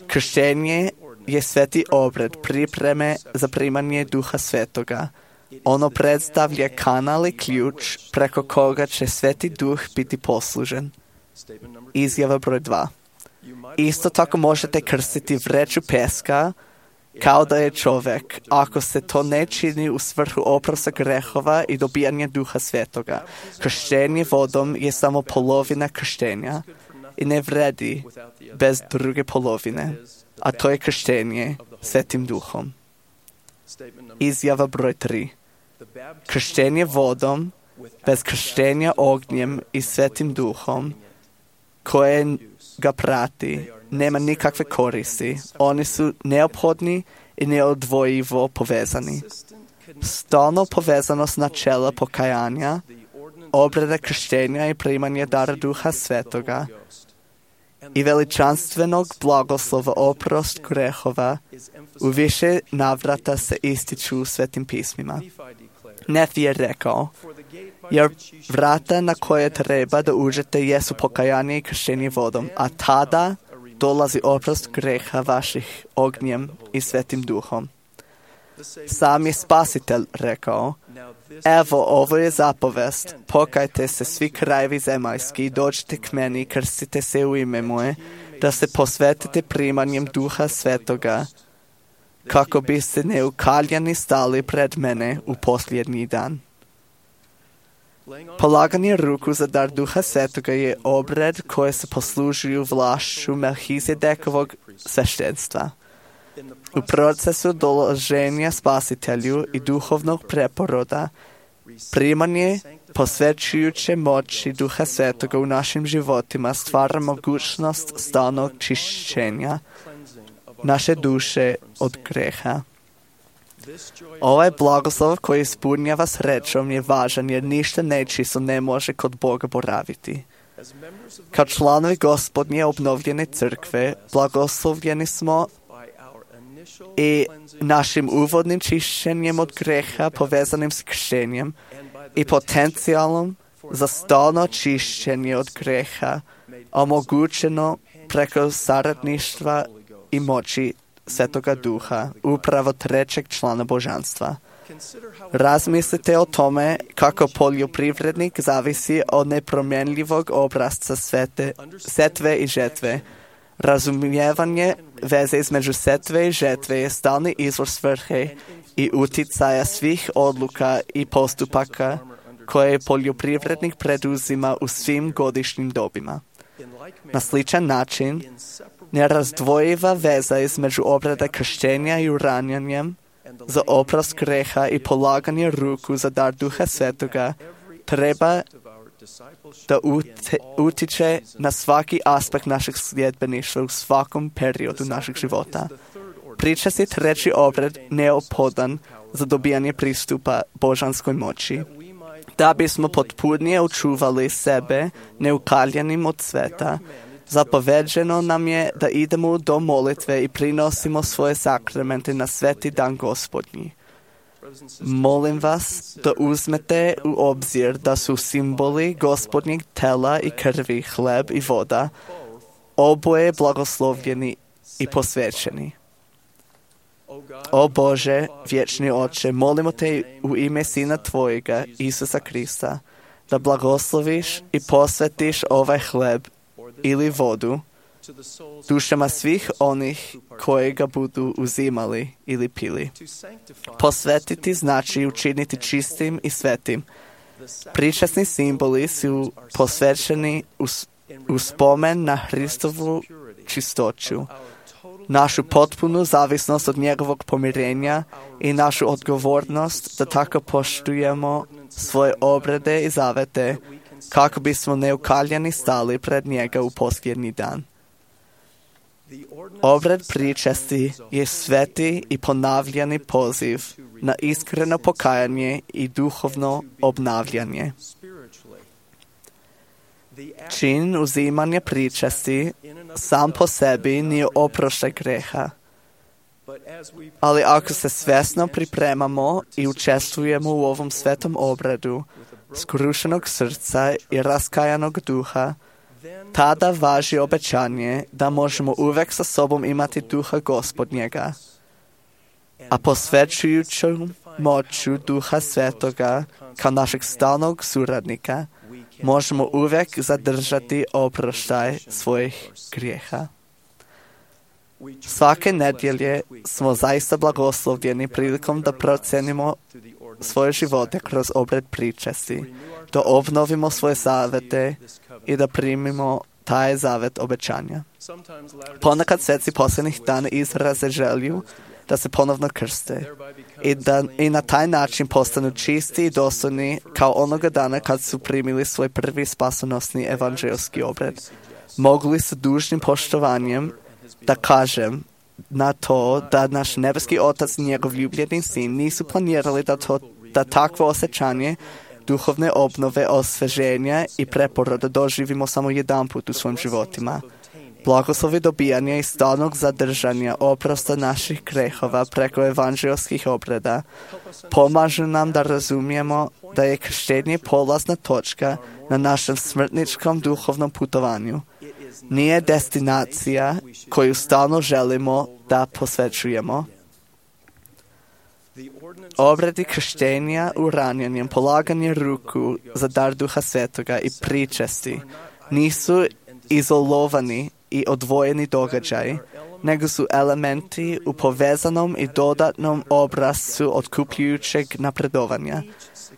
Krštenje je sveti obred pripreme za primanje Duha Svetoga. Ono predstavlja kanal i ključ preko koga će sveti duh biti poslužen. Izjava broj dva. Isto tako možete krstiti vreću peska kao da je čovjek, ako se to ne čini u svrhu oprosta grehova i dobijanja Duha Svetoga. Krštenje vodom je samo polovina krštenja i ne vredi bez druge polovine, a to je krštenje Svetim Duhom. Izjava broj tri. Krštenje vodom bez krštenja ognjem i Svetim Duhom koje ga prati nema nikakve koristi. Oni su neophodni i neodvojivo povezani. Stalno povezanost načela pokajanja, obreda krštenja i primanje dara Duha Svetoga i veličanstvenog blagoslova oprost grehova u više navrata se ističu u Svetim pismima. Nefi je rekao, jer vrata na koje treba da uđete jesu pokajanje i krštenje vodom, a tada dolazi oprost greha vaših ognjem i Svetim Duhom. Sam je Spasitelj rekao, evo, ovo je zapovest, pokajte se svi krajevi zemaljski, dođite k meni i krstite se u ime moje, da se posvetite primanjem Duha Svetoga, kako biste neukaljani stali pred mene u posljednji dan. Polaganje ruku za dar Duha Svetoga je obred koje se poslužuju vlašću Melhizedekovog sveštenstva. U procesu dolaženja Spasitelju i duhovnog preporoda, primanje posvećujuće moći Duha Svetoga u našim životima stvara mogućnost stalnog čišćenja naše duše od greha. Ovaj blagoslov koji ispunjava srećom je važan jer ništa nečisto ne može kod Boga boraviti. Kao članovi Gospodnje obnovljene crkve, blagoslovljeni smo i našim uvodnim čišćenjem od greha povezanim s krštenjem i potencijalom za stalno čišćenje od greha, omogućeno preko saradništva i moći Svetoga Duha, upravo trećeg člana božanstva. Razmislite o tome kako poljoprivrednik zavisi od nepromjenljivog obrazca svete, setve i žetve. Razumijevanje veze između setve i žetve je stalni izvor svrhe i uticaja svih odluka i postupaka koje poljoprivrednik preduzima u svim godišnjim dobima. Na sličan način, nerazdvojiva veza između obrade krštenja i uranjanjem za oprost greha i polaganje ruku za dar Duha Svetoga treba da utiče na svaki aspekt našeg sljedbeništva u svakom periodu našeg života. Pričasti treći obred neophodan za dobijanje pristupa božanskoj moći, da bismo potpunije učuvali sebe neukaljenim od sveta. Zapoveđeno nam je da idemo do molitve i prinosimo svoje sakramente na sveti dan Gospodnji. Molim vas da uzmete u obzir da su simboli Gospodnjeg tela i krvi, hleb i voda, oboje blagoslovljeni i posvećeni. O Bože, vječni Oče, molimo te u ime Sina Tvojega, Isusa Krista, da blagosloviš i posvetiš ovaj hleb ili vodu dušama svih onih koji ga budu uzimali ili pili. Posvetiti znači učiniti čistim i svetim. Pričasni simboli su posvećeni u, u spomen na Hristovu čistoću, našu potpunu zavisnost od njegovog pomirenja i našu odgovornost da tako poštujemo svoje obrede i zavete kako bismo neukaljeni stali pred njega u posljednji dan. Obred pričasti je sveti i ponavljani poziv na iskreno pokajanje i duhovno obnavljanje. Čin uzimanja pričasti sam po sebi nije oproštaj greha, ali ako se svjesno pripremamo i učestvujemo u ovom svetom obredu skrušenog srca i raskajanog duha, tada važi obećanje da možemo uvek sa sobom imati Duha Gospodnjega, a posvećujuću moću Duha Svetoga kao našeg stalnog suradnika možemo uvek zadržati oproštaj svojih grijeha. Svake nedjelje smo zaista blagoslovljeni prilikom da procenimo svoje živote kroz obred pričasti, da obnovimo svoje zavete i da primimo taj zavet obećanja. Ponekad sveci posljednjih dana izraze želju da se ponovno krste i da i na taj način postanu čisti i dostojni kao onoga dana kad su primili svoj prvi spasonosni evanđelski obred. Mogu li sa dužnim poštovanjem da kažem na to da naš nebeski Otac i njegov ljubljeni sin nisu planirali da, to, da takvo osjećanje duhovne obnove, osveženja i preporoda doživimo samo jedan put u svojim životima. Blagoslovi dobijanja i stalnog zadržanja oprosta naših grehova preko evanđelskih obreda pomažu nam da razumijemo da je krštenje polazna točka na našem smrtničkom duhovnom putovanju. Nije destinacija koju stalno želimo da posvećujemo. Obredi krštenja uranjanjem, polaganje ruku za dar Duha Svetoga i pričesti nisu izolovani i odvojeni događaji, nego su elementi u povezanom i dodatnom obrazcu otkupljujućeg napredovanja.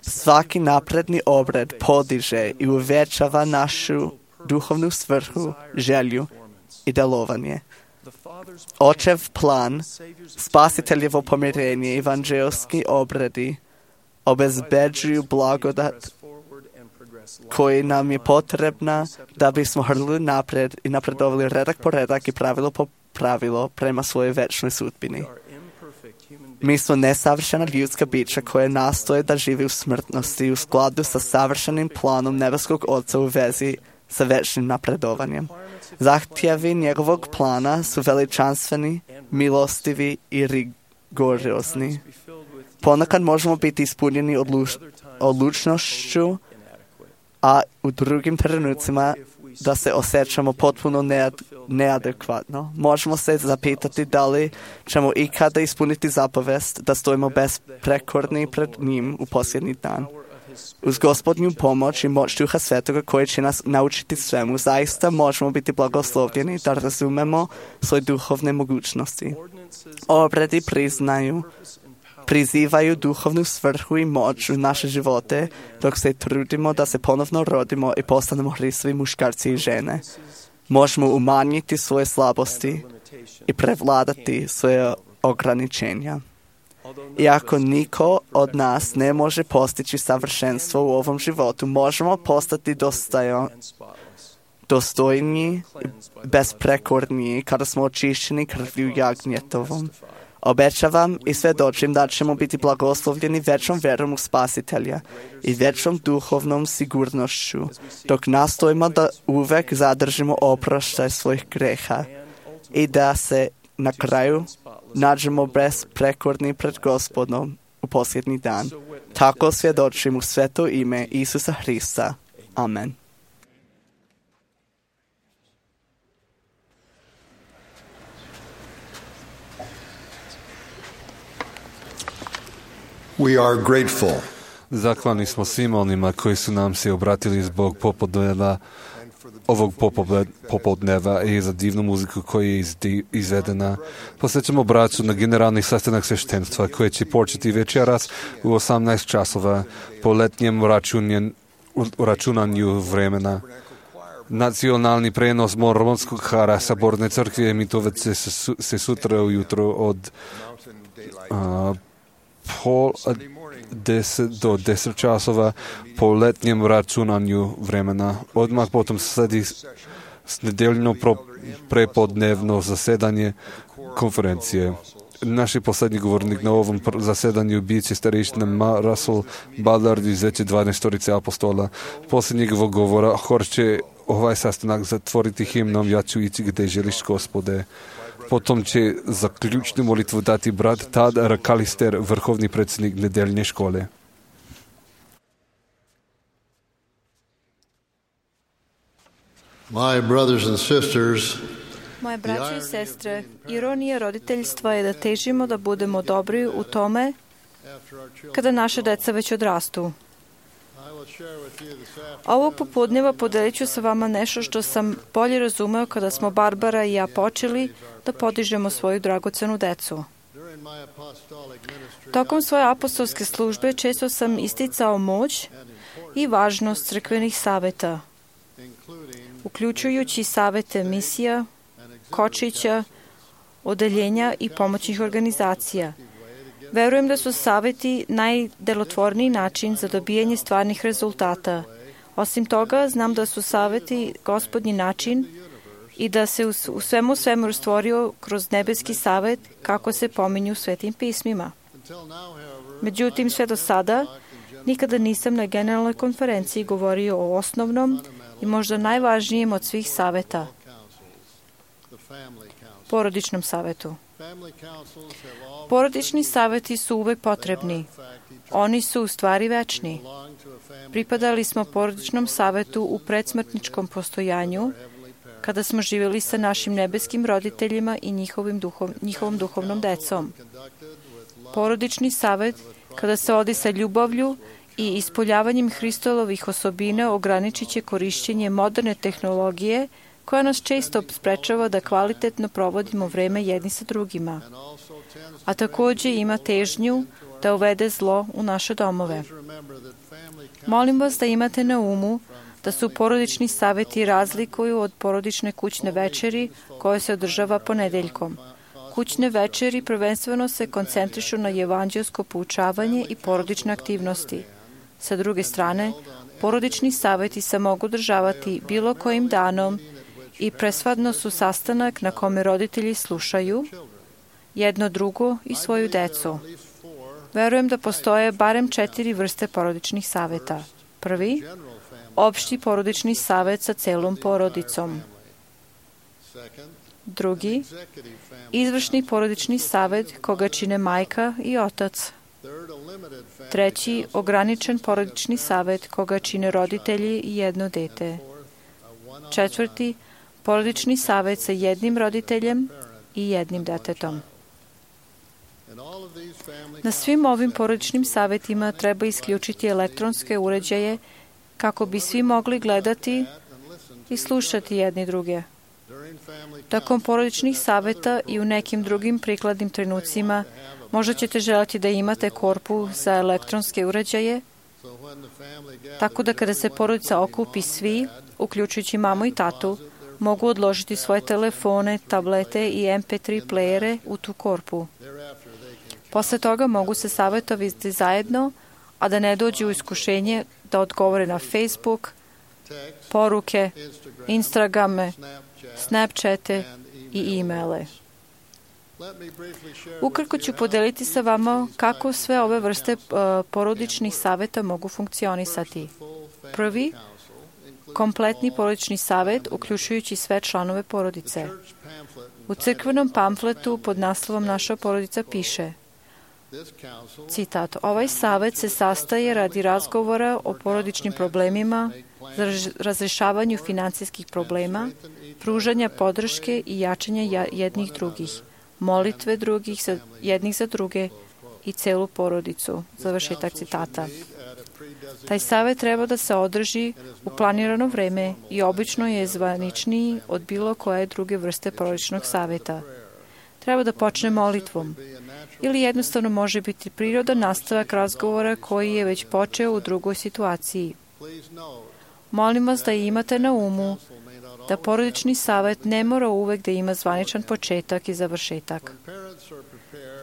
Svaki napredni obred podiže i uvećava našu duhovnu svrhu, želju i delovanje. Očev plan, spasiteljevo pomirenje i evanđelski obredi obezbeđuju blagodat koji nam je potrebna da bismo hrlili napred i napredovali redak po redak i pravilo po pravilo prema svojoj večnoj sudbini. Mi smo nesavršena ljudska bića koje nastoje da živi u smrtnosti u skladu sa savršenim planom nebeskog Oca u vezi sa večnim napredovanjem. Zahtjevi njegovog plana su veličanstveni, milostivi i rigorozni. Ponekad možemo biti ispunjeni odluč- odlučnošću a u drugim trenucima da se osjećamo potpuno nead, neadekvatno. Možemo se zapitati da li ćemo ikada ispuniti zapovest da stojimo besprekorni pred njim u posljednji dan. Uz Gospodnju pomoć i moć Duha Svetoga koji će nas naučiti svemu, zaista možemo biti blagoslovljeni da razumemo svoje duhovne mogućnosti. Obredi priznaju, prizivaju duhovnu svrhu i moć u naše živote dok se trudimo da se ponovno rodimo i postanemo Hristovi muškarci i žene. Možemo umanjiti svoje slabosti i prevladati svoje ograničenja. Iako niko od nas ne može postići savršenstvo u ovom životu, možemo postati dostajo, dostojni, besprekorniji kada smo očišćeni krvlju jagnjetovom. Obećavam i svjedočim da ćemo biti blagoslovljeni većom verom u Spasitelja i većom duhovnom sigurnošću, dok nastojimo da uvek zadržimo oproštaj svojih greha i da se na kraju nađemo besprekorni pred Gospodom u posljednji dan. Tako svjedočim u sveto ime Isusa Hrista. Amen. We are grateful. Zahvalni smo svima onima koji su nam se obratili zbog popodneva, ovog popodneva i za divnu muziku koja je izvedena. Posjećamo braću na generalni sastanak sveštenstva koji će početi večeras u osamnaest časova po letnjem računanju vremena. Nacionalni prenos mormonskog hara Saborne crkve Mitovice se, se sutra ujutro od a, pol deset do deset časova po letnjem računanju vremena. Odmah potom sledi s nedeljno prepodnevno zasedanje konferencije. Naš posljednji govornik na ovom zasedanju bit će starešina Russell Ballard iz Veće dvanaestorice apostola. Poslije njegovog govora hor će ovaj sastanak zatvoriti himnom Ja ću ići gdje želiš, Gospode. Potom će za ključnu molitvu dati brat Tad Rakalister, vrhovni predsjednik nedeljne škole. My brothers and sisters, moje braće i sestre, ironija roditeljstva je da težimo da budemo dobri u tome kada naše deca već odrastu. Ovog popodneva podelit ću sa vama nešto što sam bolje razumeo kada smo Barbara i ja počeli da podižemo svoju dragocenu decu. Tokom svoje apostolske službe često sam isticao moć i važnost crkvenih saveta, uključujući savete misija, kočića, odeljenja i pomoćnih organizacija. Verujem da su saveti najdelotvorniji način za dobijanje stvarnih rezultata. Osim toga, znam da su saveti Gospodnji način i da se u svemu svemu stvorio kroz nebeski savet kako se pominju u svetim pismima. Međutim, sve do sada nikada nisam na generalnoj konferenciji govorio o osnovnom i možda najvažnijem od svih saveta, porodičnom savetu. Porodični saveti su uvek potrebni. Oni su u stvari večni. Pripadali smo porodičnom savetu u predsmrtničkom postojanju, kada smo živjeli sa našim nebeskim roditeljima i njihovim duhov, njihovom duhovnom decom. Porodični savet, kada se odi sa ljubavlju i ispoljavanjem Hristolovih osobina, ograničit će korišćenje moderne tehnologije koja nas često sprečava da kvalitetno provodimo vreme jedni sa drugima, a također ima težnju da uvede zlo u naše domove. Molim vas da imate na umu da su porodični saveti razlikuju od porodične kućne večeri koja se održava ponedeljkom. Kućne večeri prvenstveno se koncentrišu na evanđelsko poučavanje i porodične aktivnosti. Sa druge strane, porodični saveti se mogu održavati bilo kojim danom i presvadno su sastanak na kome roditelji slušaju jedno drugo i svoju decu. Verujem da postoje barem četiri vrste porodičnih saveta. Prvi, opšti porodični savet sa celom porodicom. Drugi, izvršni porodični savet koga čine majka i otac. Treći, ograničen porodični savet koga čine roditelji i jedno dete. Četvrti, porodični savet sa jednim roditeljem i jednim detetom. Na svim ovim porodičnim savetima treba isključiti elektronske uređaje kako bi svi mogli gledati i slušati jedni druge. Tokom porodičnih saveta i u nekim drugim prikladnim trenucima možda ćete želiti da imate korpu za elektronske uređaje, tako da kada se porodica okupi svi, uključujući mamu i tatu, mogu odložiti svoje telefone, tablete i em pe tri plejere u tu korpu. Posle toga mogu se savetovati zajedno, a da ne dođu u iskušenje da odgovore na Facebook, poruke, Instagrame, Snapchate i e-maile. Ukratko ću podeliti sa vama kako sve ove vrste uh, porodičnih saveta mogu funkcionisati. Prvi, kompletni porodični savet, uključujući sve članove porodice. U crkvenom pamfletu pod naslovom Naša porodica piše, citat, ovaj savet se sastaje radi razgovora o porodičnim problemima, razrešavanju finansijskih problema, pružanja podrške i jačanja jednih drugih, molitve drugih za, jednih za druge i celu porodicu. Završetak citata. Taj savet treba da se održi u planirano vreme i obično je zvaničniji od bilo koje druge vrste porodičnog saveta. Treba da počne molitvom ili jednostavno može biti prirodan nastavak razgovora koji je već počeo u drugoj situaciji. Molim vas da imate na umu da porodični savet ne mora uvek da ima zvaničan početak i završetak.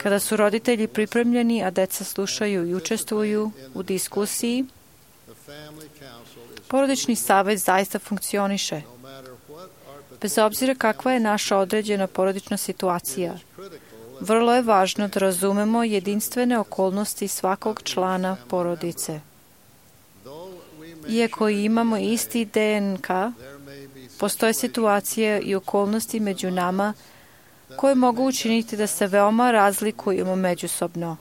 Kada su roditelji pripremljeni, a deca slušaju i učestvuju u diskusiji, porodični savet zaista funkcioniše. Bez obzira kakva je naša određena porodična situacija, vrlo je važno da razumemo jedinstvene okolnosti svakog člana porodice. Iako imamo isti de en ka, postoje situacije i okolnosti među nama koje mogu učiniti da se veoma razlikujemo međusobno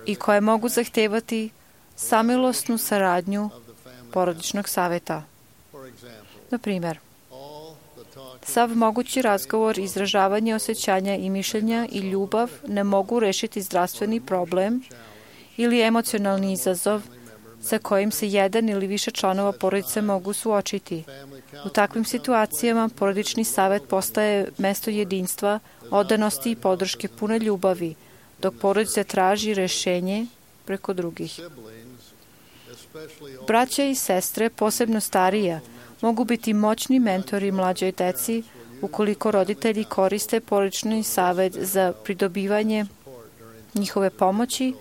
i koje mogu zahtevati samilosnu saradnju porodičnog saveta. Na primjer, sav mogući razgovor, izražavanje osjećanja i mišljenja i ljubav ne mogu rešiti zdravstveni problem ili emocionalni izazov sa kojim se jedan ili više članova porodice mogu suočiti. U takvim situacijama porodični savet postaje mesto jedinstva, odanosti i podrške pune ljubavi, dok porodica traži rešenje preko drugih. Braća i sestre, posebno starija, mogu biti moćni mentori mlađoj deci ukoliko roditelji koriste porodični savet za pridobivanje njihove pomoći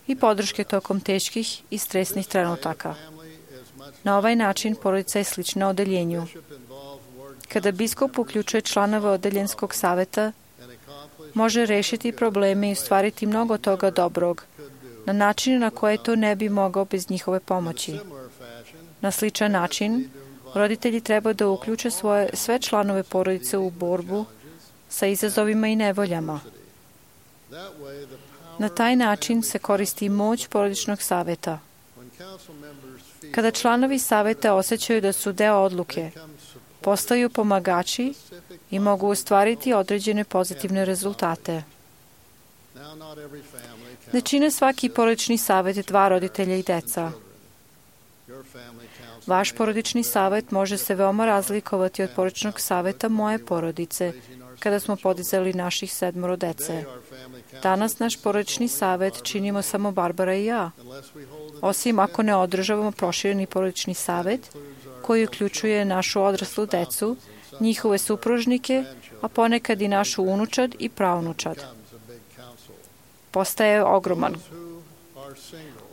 i podrške tokom teških i stresnih trenutaka. Na ovaj način porodica je slična odeljenju. Kada biskup uključuje članove odeljenskog saveta, može rešiti probleme i ostvariti mnogo toga dobrog, na način na koje to ne bi mogao bez njihove pomoći. Na sličan način, roditelji treba da uključe svoje, sve članove porodice u borbu sa izazovima i nevoljama. Na taj način se koristi moć porodičnog saveta. Kada članovi saveta osjećaju da su deo odluke, postaju pomagači i mogu ostvariti određene pozitivne rezultate. Ne čine svaki porodični savet dva roditelja i deca. Vaš porodični savet može se veoma razlikovati od porodičnog saveta moje porodice, kada smo podizali naših sedmoro dece. Danas naš porodični savet činimo samo Barbara i ja, osim ako ne održavamo prošireni porodični savet, koji uključuje našu odraslu decu, njihove supružnike, a ponekad i našu unučad i praunučad. Postaje ogroman.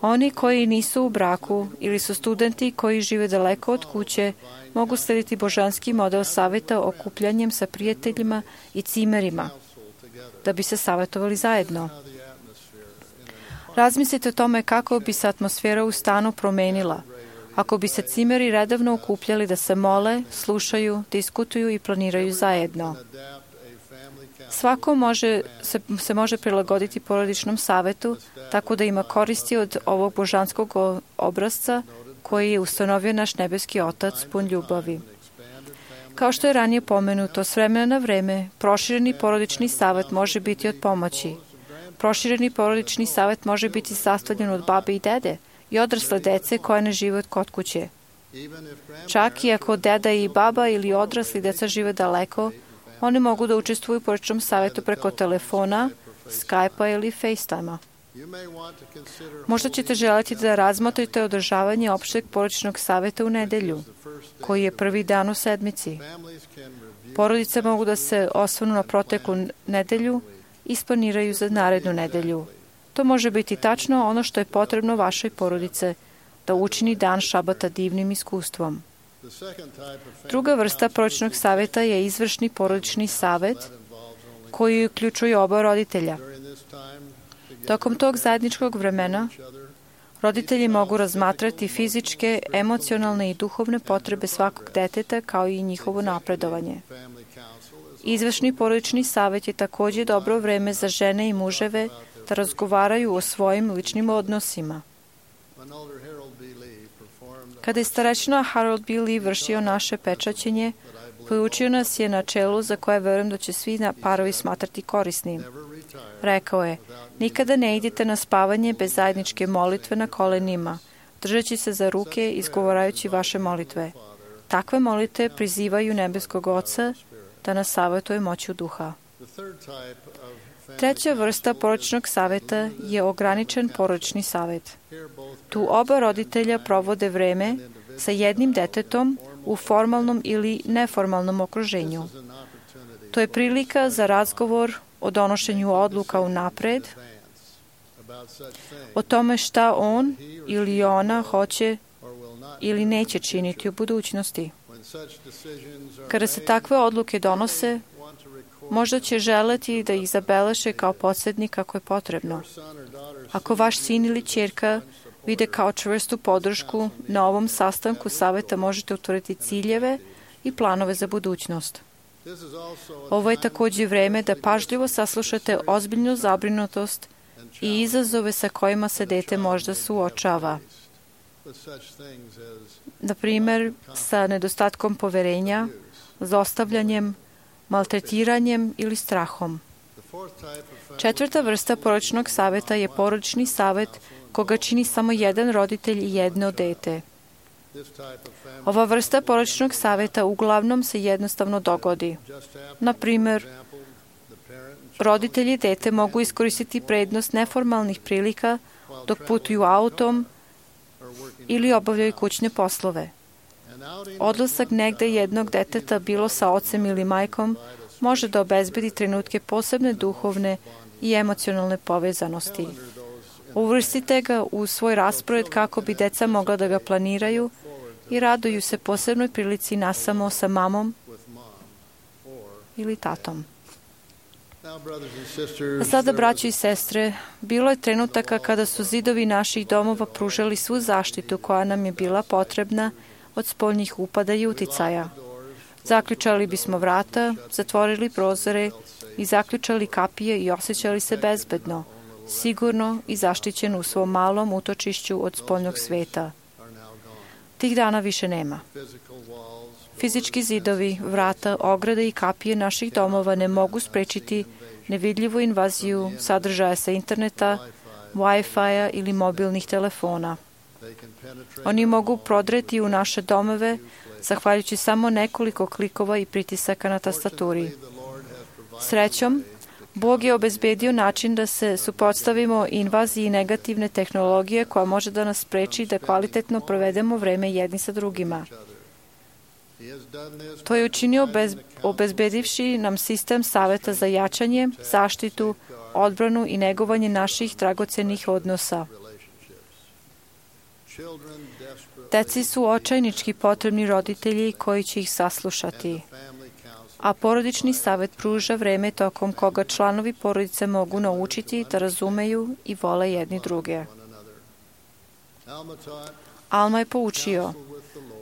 Oni koji nisu u braku ili su studenti koji žive daleko od kuće mogu slediti božanski model saveta okupljanjem sa prijateljima i cimerima da bi se savetovali zajedno. Razmislite o tome kako bi se atmosfera u stanu promenila ako bi se cimeri redovno okupljali da se mole, slušaju, diskutuju i planiraju zajedno. Svako može, se, se može prilagoditi porodičnom savetu, tako da ima koristi od ovog božanskog obrazca koji je ustanovio naš nebeski Otac pun ljubavi. Kao što je ranije pomenuto, s vremena na vreme, prošireni porodični savet može biti od pomoći. Prošireni porodični savet može biti sastavljen od babe i dede i odrasle dece koja ne žive kod kuće. Čak i ako deda i baba ili odrasli deca žive daleko, oni mogu da učestvuju u porodičnom savetu preko telefona, Skype-a ili FaceTime-a. Možda ćete želiti da razmotrite održavanje opšteg porodičnog saveta u nedelju, koji je prvi dan u sedmici. Porodice mogu da se osvrnu na proteklu nedelju i isplaniraju za narednu nedelju. To može biti tačno ono što je potrebno vašoj porodice, da učini dan šabata divnim iskustvom. Druga vrsta porodičnog saveta je izvršni porodični savet, koji uključuje oba roditelja. Tokom tog zajedničkog vremena, roditelji mogu razmatrati fizičke, emocionalne i duhovne potrebe svakog deteta, kao i njihovo napredovanje. Izvršni porodični savet je također dobro vreme za žene i muževe da razgovaraju o svojim ličnim odnosima. Kada je starečina Harold B. Lee vršio naše pečaćenje, poučio nas je načelu za koje verujem da će svi parovi smatrati korisnim. Rekao je, nikada ne idite na spavanje bez zajedničke molitve na kolenima, držeći se za ruke i izgovarajući vaše molitve. Takve molitve prizivaju nebeskog Oca da nas savjetuje moću duha. Treća vrsta porodičnog saveta je ograničen porodični savet. Tu oba roditelja provode vreme sa jednim detetom u formalnom ili neformalnom okruženju. To je prilika za razgovor o donošenju odluka unapred, o tome šta on ili ona hoće ili neće činiti u budućnosti. Kada se takve odluke donose, možda će želeti da ih zabeleže kao podsjetnik ako je potrebno. Ako vaš sin ili ćerka vide kao čvrstu podršku, na ovom sastanku saveta možete utvrditi ciljeve i planove za budućnost. Ovo je također vreme da pažljivo saslušate ozbiljnu zabrinutost i izazove sa kojima se dete možda suočava. Na primjer, sa nedostatkom poverenja, zlostavljanjem, maltretiranjem ili strahom. Četvrta vrsta porodičnog saveta je porodični savet koga čini samo jedan roditelj i jedno dete. Ova vrsta porodičnog saveta uglavnom se jednostavno dogodi. Na primjer, roditelji i dete mogu iskoristiti prednost neformalnih prilika dok putuju autom ili obavljaju kućne poslove. Odlasak negde jednog deteta, bilo sa ocem ili majkom, može da obezbedi trenutke posebne duhovne i emocionalne povezanosti. Uvrstite ga u svoj raspored kako bi deca mogla da ga planiraju i raduju se posebnoj prilici nasamo sa mamom ili tatom. A sada, braći i sestre, bilo je trenutaka kada su zidovi naših domova pružali svu zaštitu koja nam je bila potrebna od spoljnih upada i uticaja. Zaključali bismo vrata, zatvorili prozore i zaključali kapije i osjećali se bezbedno, sigurno i zaštićeno u svom malom utočišću od spoljnog sveta. Tih dana više nema. Fizički zidovi, vrata, ograde i kapije naših domova ne mogu sprečiti nevidljivu invaziju sadržaja sa interneta, Wi-Fi-a ili mobilnih telefona. Oni mogu prodreti u naše domove zahvaljujući samo nekoliko klikova i pritisaka na tastaturi. Srećom, Bog je obezbedio način da se suprotstavimo invaziji negativne tehnologije koja može da nas spreči da kvalitetno provedemo vreme jedni sa drugima. To je učinio bez, obezbedivši nam sistem saveta za jačanje, zaštitu, odbranu i negovanje naših dragocenih odnosa. Deci su očajnički potrebni roditelji koji će ih saslušati, a porodični savet pruža vreme tokom koga članovi porodice mogu naučiti da razumeju i vole jedni druge. Alma je poučio,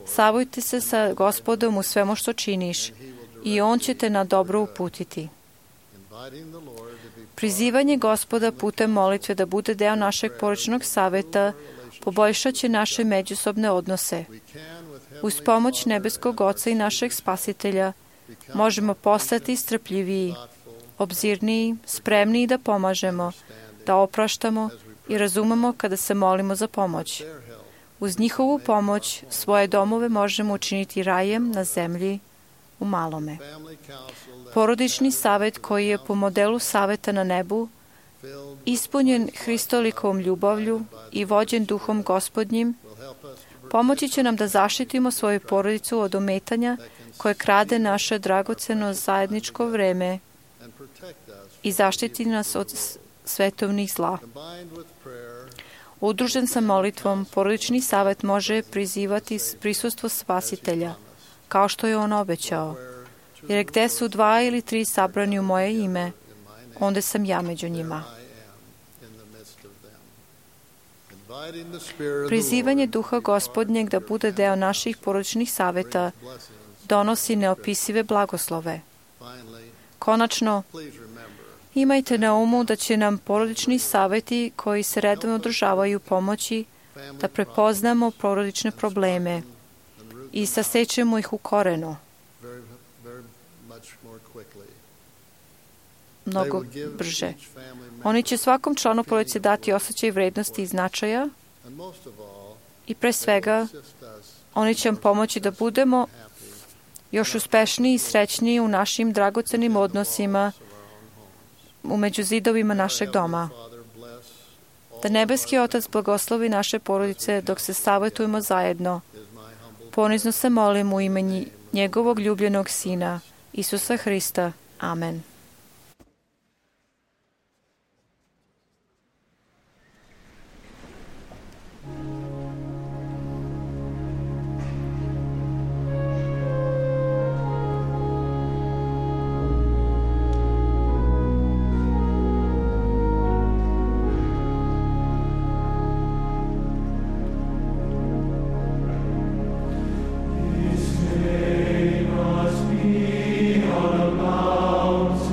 savojte se sa Gospodom u svemu što činiš i On će te na dobro uputiti. Prizivanje Gospoda putem molitve da bude deo našeg porodičnog saveta poboljšat će naše međusobne odnose. Uz pomoć nebeskog Oca i našeg Spasitelja možemo postati strpljiviji, obzirniji, spremniji da pomažemo, da opraštamo i razumemo kada se molimo za pomoć. Uz njihovu pomoć svoje domove možemo učiniti rajem na zemlji u malome. Porodični savet koji je po modelu saveta na nebu, ispunjen Hristolikovom ljubavlju i vođen duhom Gospodnjim, pomoći će nam da zaštitimo svoju porodicu od ometanja koje krade naše dragoceno zajedničko vreme i zaštiti nas od svetovnih zla. Udružen sa molitvom, porodični savet može prizivati prisustvo Spasitelja, kao što je on obećao. Jer gde su dva ili tri sabrani u moje ime, onda sam ja među njima. Prizivanje Duha Gospodnjeg da bude deo naših porodičnih saveta donosi neopisive blagoslove. Konačno, imajte na umu da će nam porodični saveti koji se redovno održavaju pomoći da prepoznamo porodične probleme i sasećemo ih u korenu. Mnogo brže. Oni će svakom članu porodice dati osjećaj vrednosti i značaja i pre svega oni će vam pomoći da budemo još uspešniji i srećniji u našim dragocenim odnosima u među zidovima našeg doma. Da nebeski Otac blagoslovi naše porodice dok se savjetujemo zajedno. Ponizno se molim u ime njegovog ljubljenog Sina, Isusa Hrista. Amen. Must be on a mountain.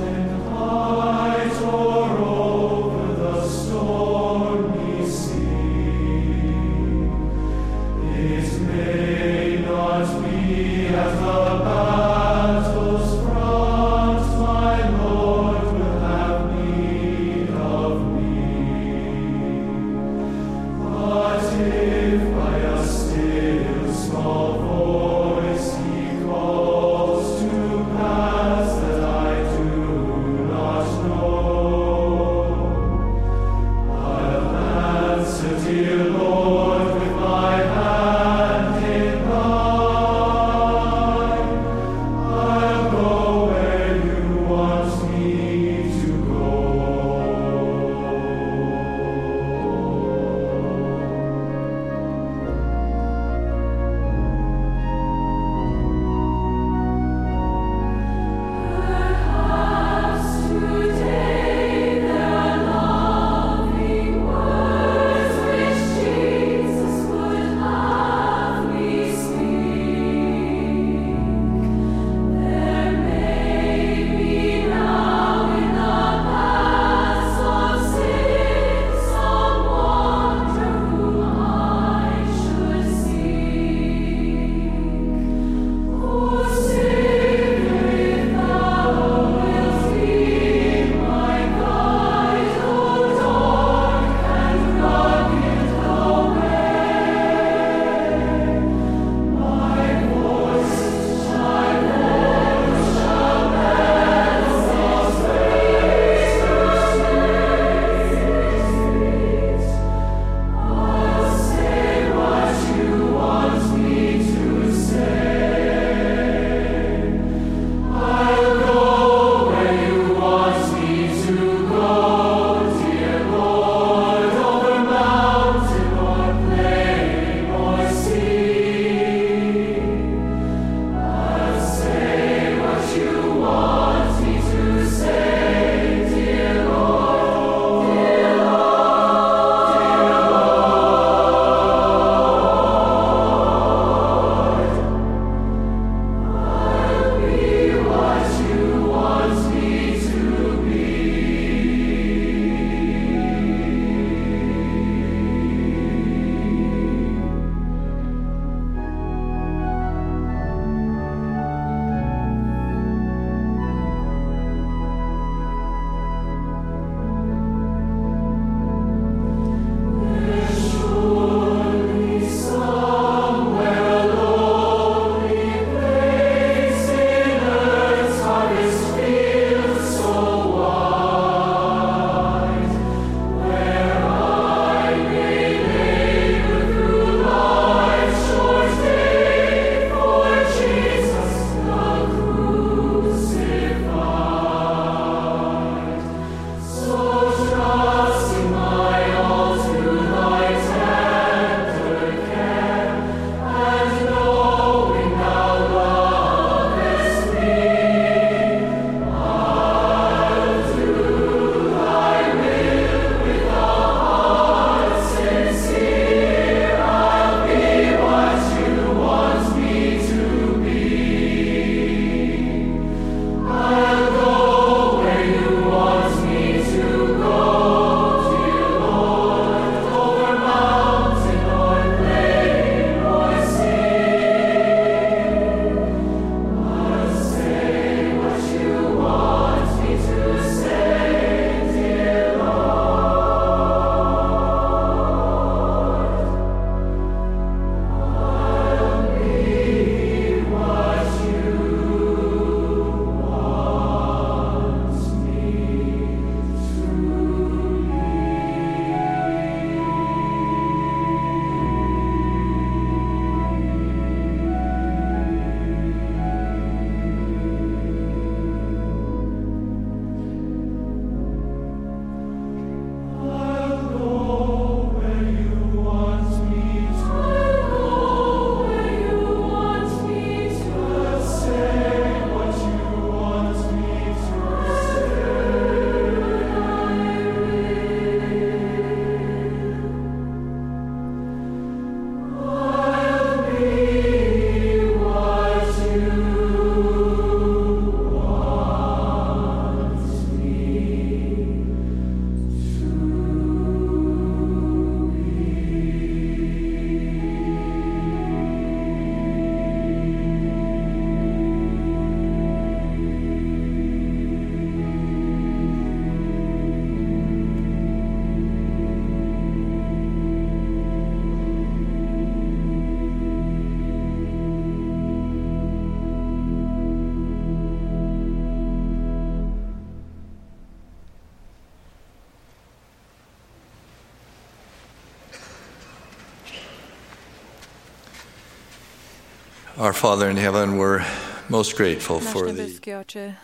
Our Father in heaven, we're most grateful Naš for the nebeski oče,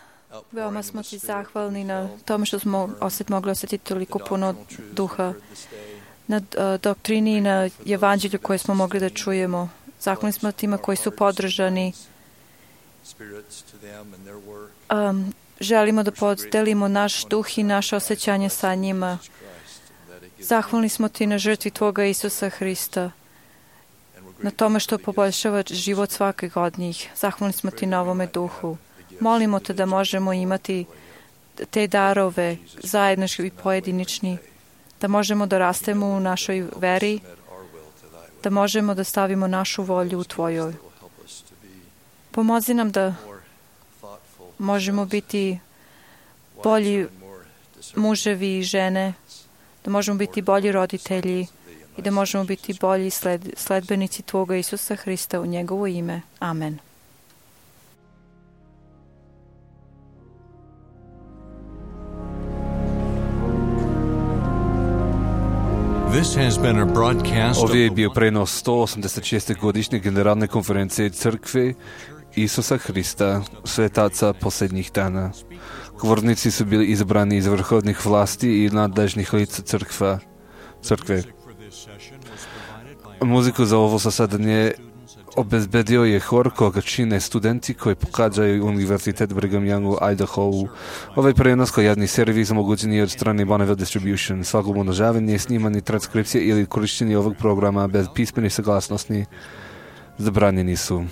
veoma smo ti zahvalni na tome što smo osjet, mogli osjetiti toliko puno duha, na uh, doktrini i na evanđelju koje smo mogli da čujemo. Zahvalni smo tima koji su podržani. Um, želimo da podelimo naš duh i naše osjećanje sa njima. Zahvalni smo ti na žrtvi Tvoga Isusa Hrista, na tome što poboljšava život svakog od njih. Zahvalni smo ti na ovome duhu. Molimo te da možemo imati te darove zajednički i pojedinični, da možemo da rastemo u našoj veri, da možemo da stavimo našu volju u Tvojoj. Pomozi nam da možemo biti bolji muževi i žene, da možemo biti bolji roditelji i da možemo biti bolji sled, sledbenici Tvoga Isusa Hrista u njegovo ime. Amen. This has been a broadcast Ovdje je bio prenos sto osamdeset šeste godišnje generalne konferencije Crkve Isusa Hrista, svetaca posljednjih dana. Govornici su bili izabrani iz vrhovnih vlasti i nadležnih lica crkva, crkve. Muziku za ovo zasadanje obezbedio je hor koga čine studenti koji pohađaju Univerzitet Brigham Young u Idaho. Ovaj prenos kao javni servis omogućen je od strane Bonneville Distribution. Svako umnožavanje, snimanje, transkripcije ili korištenje ovog programa bez pismene saglasnosti zabranjeni su.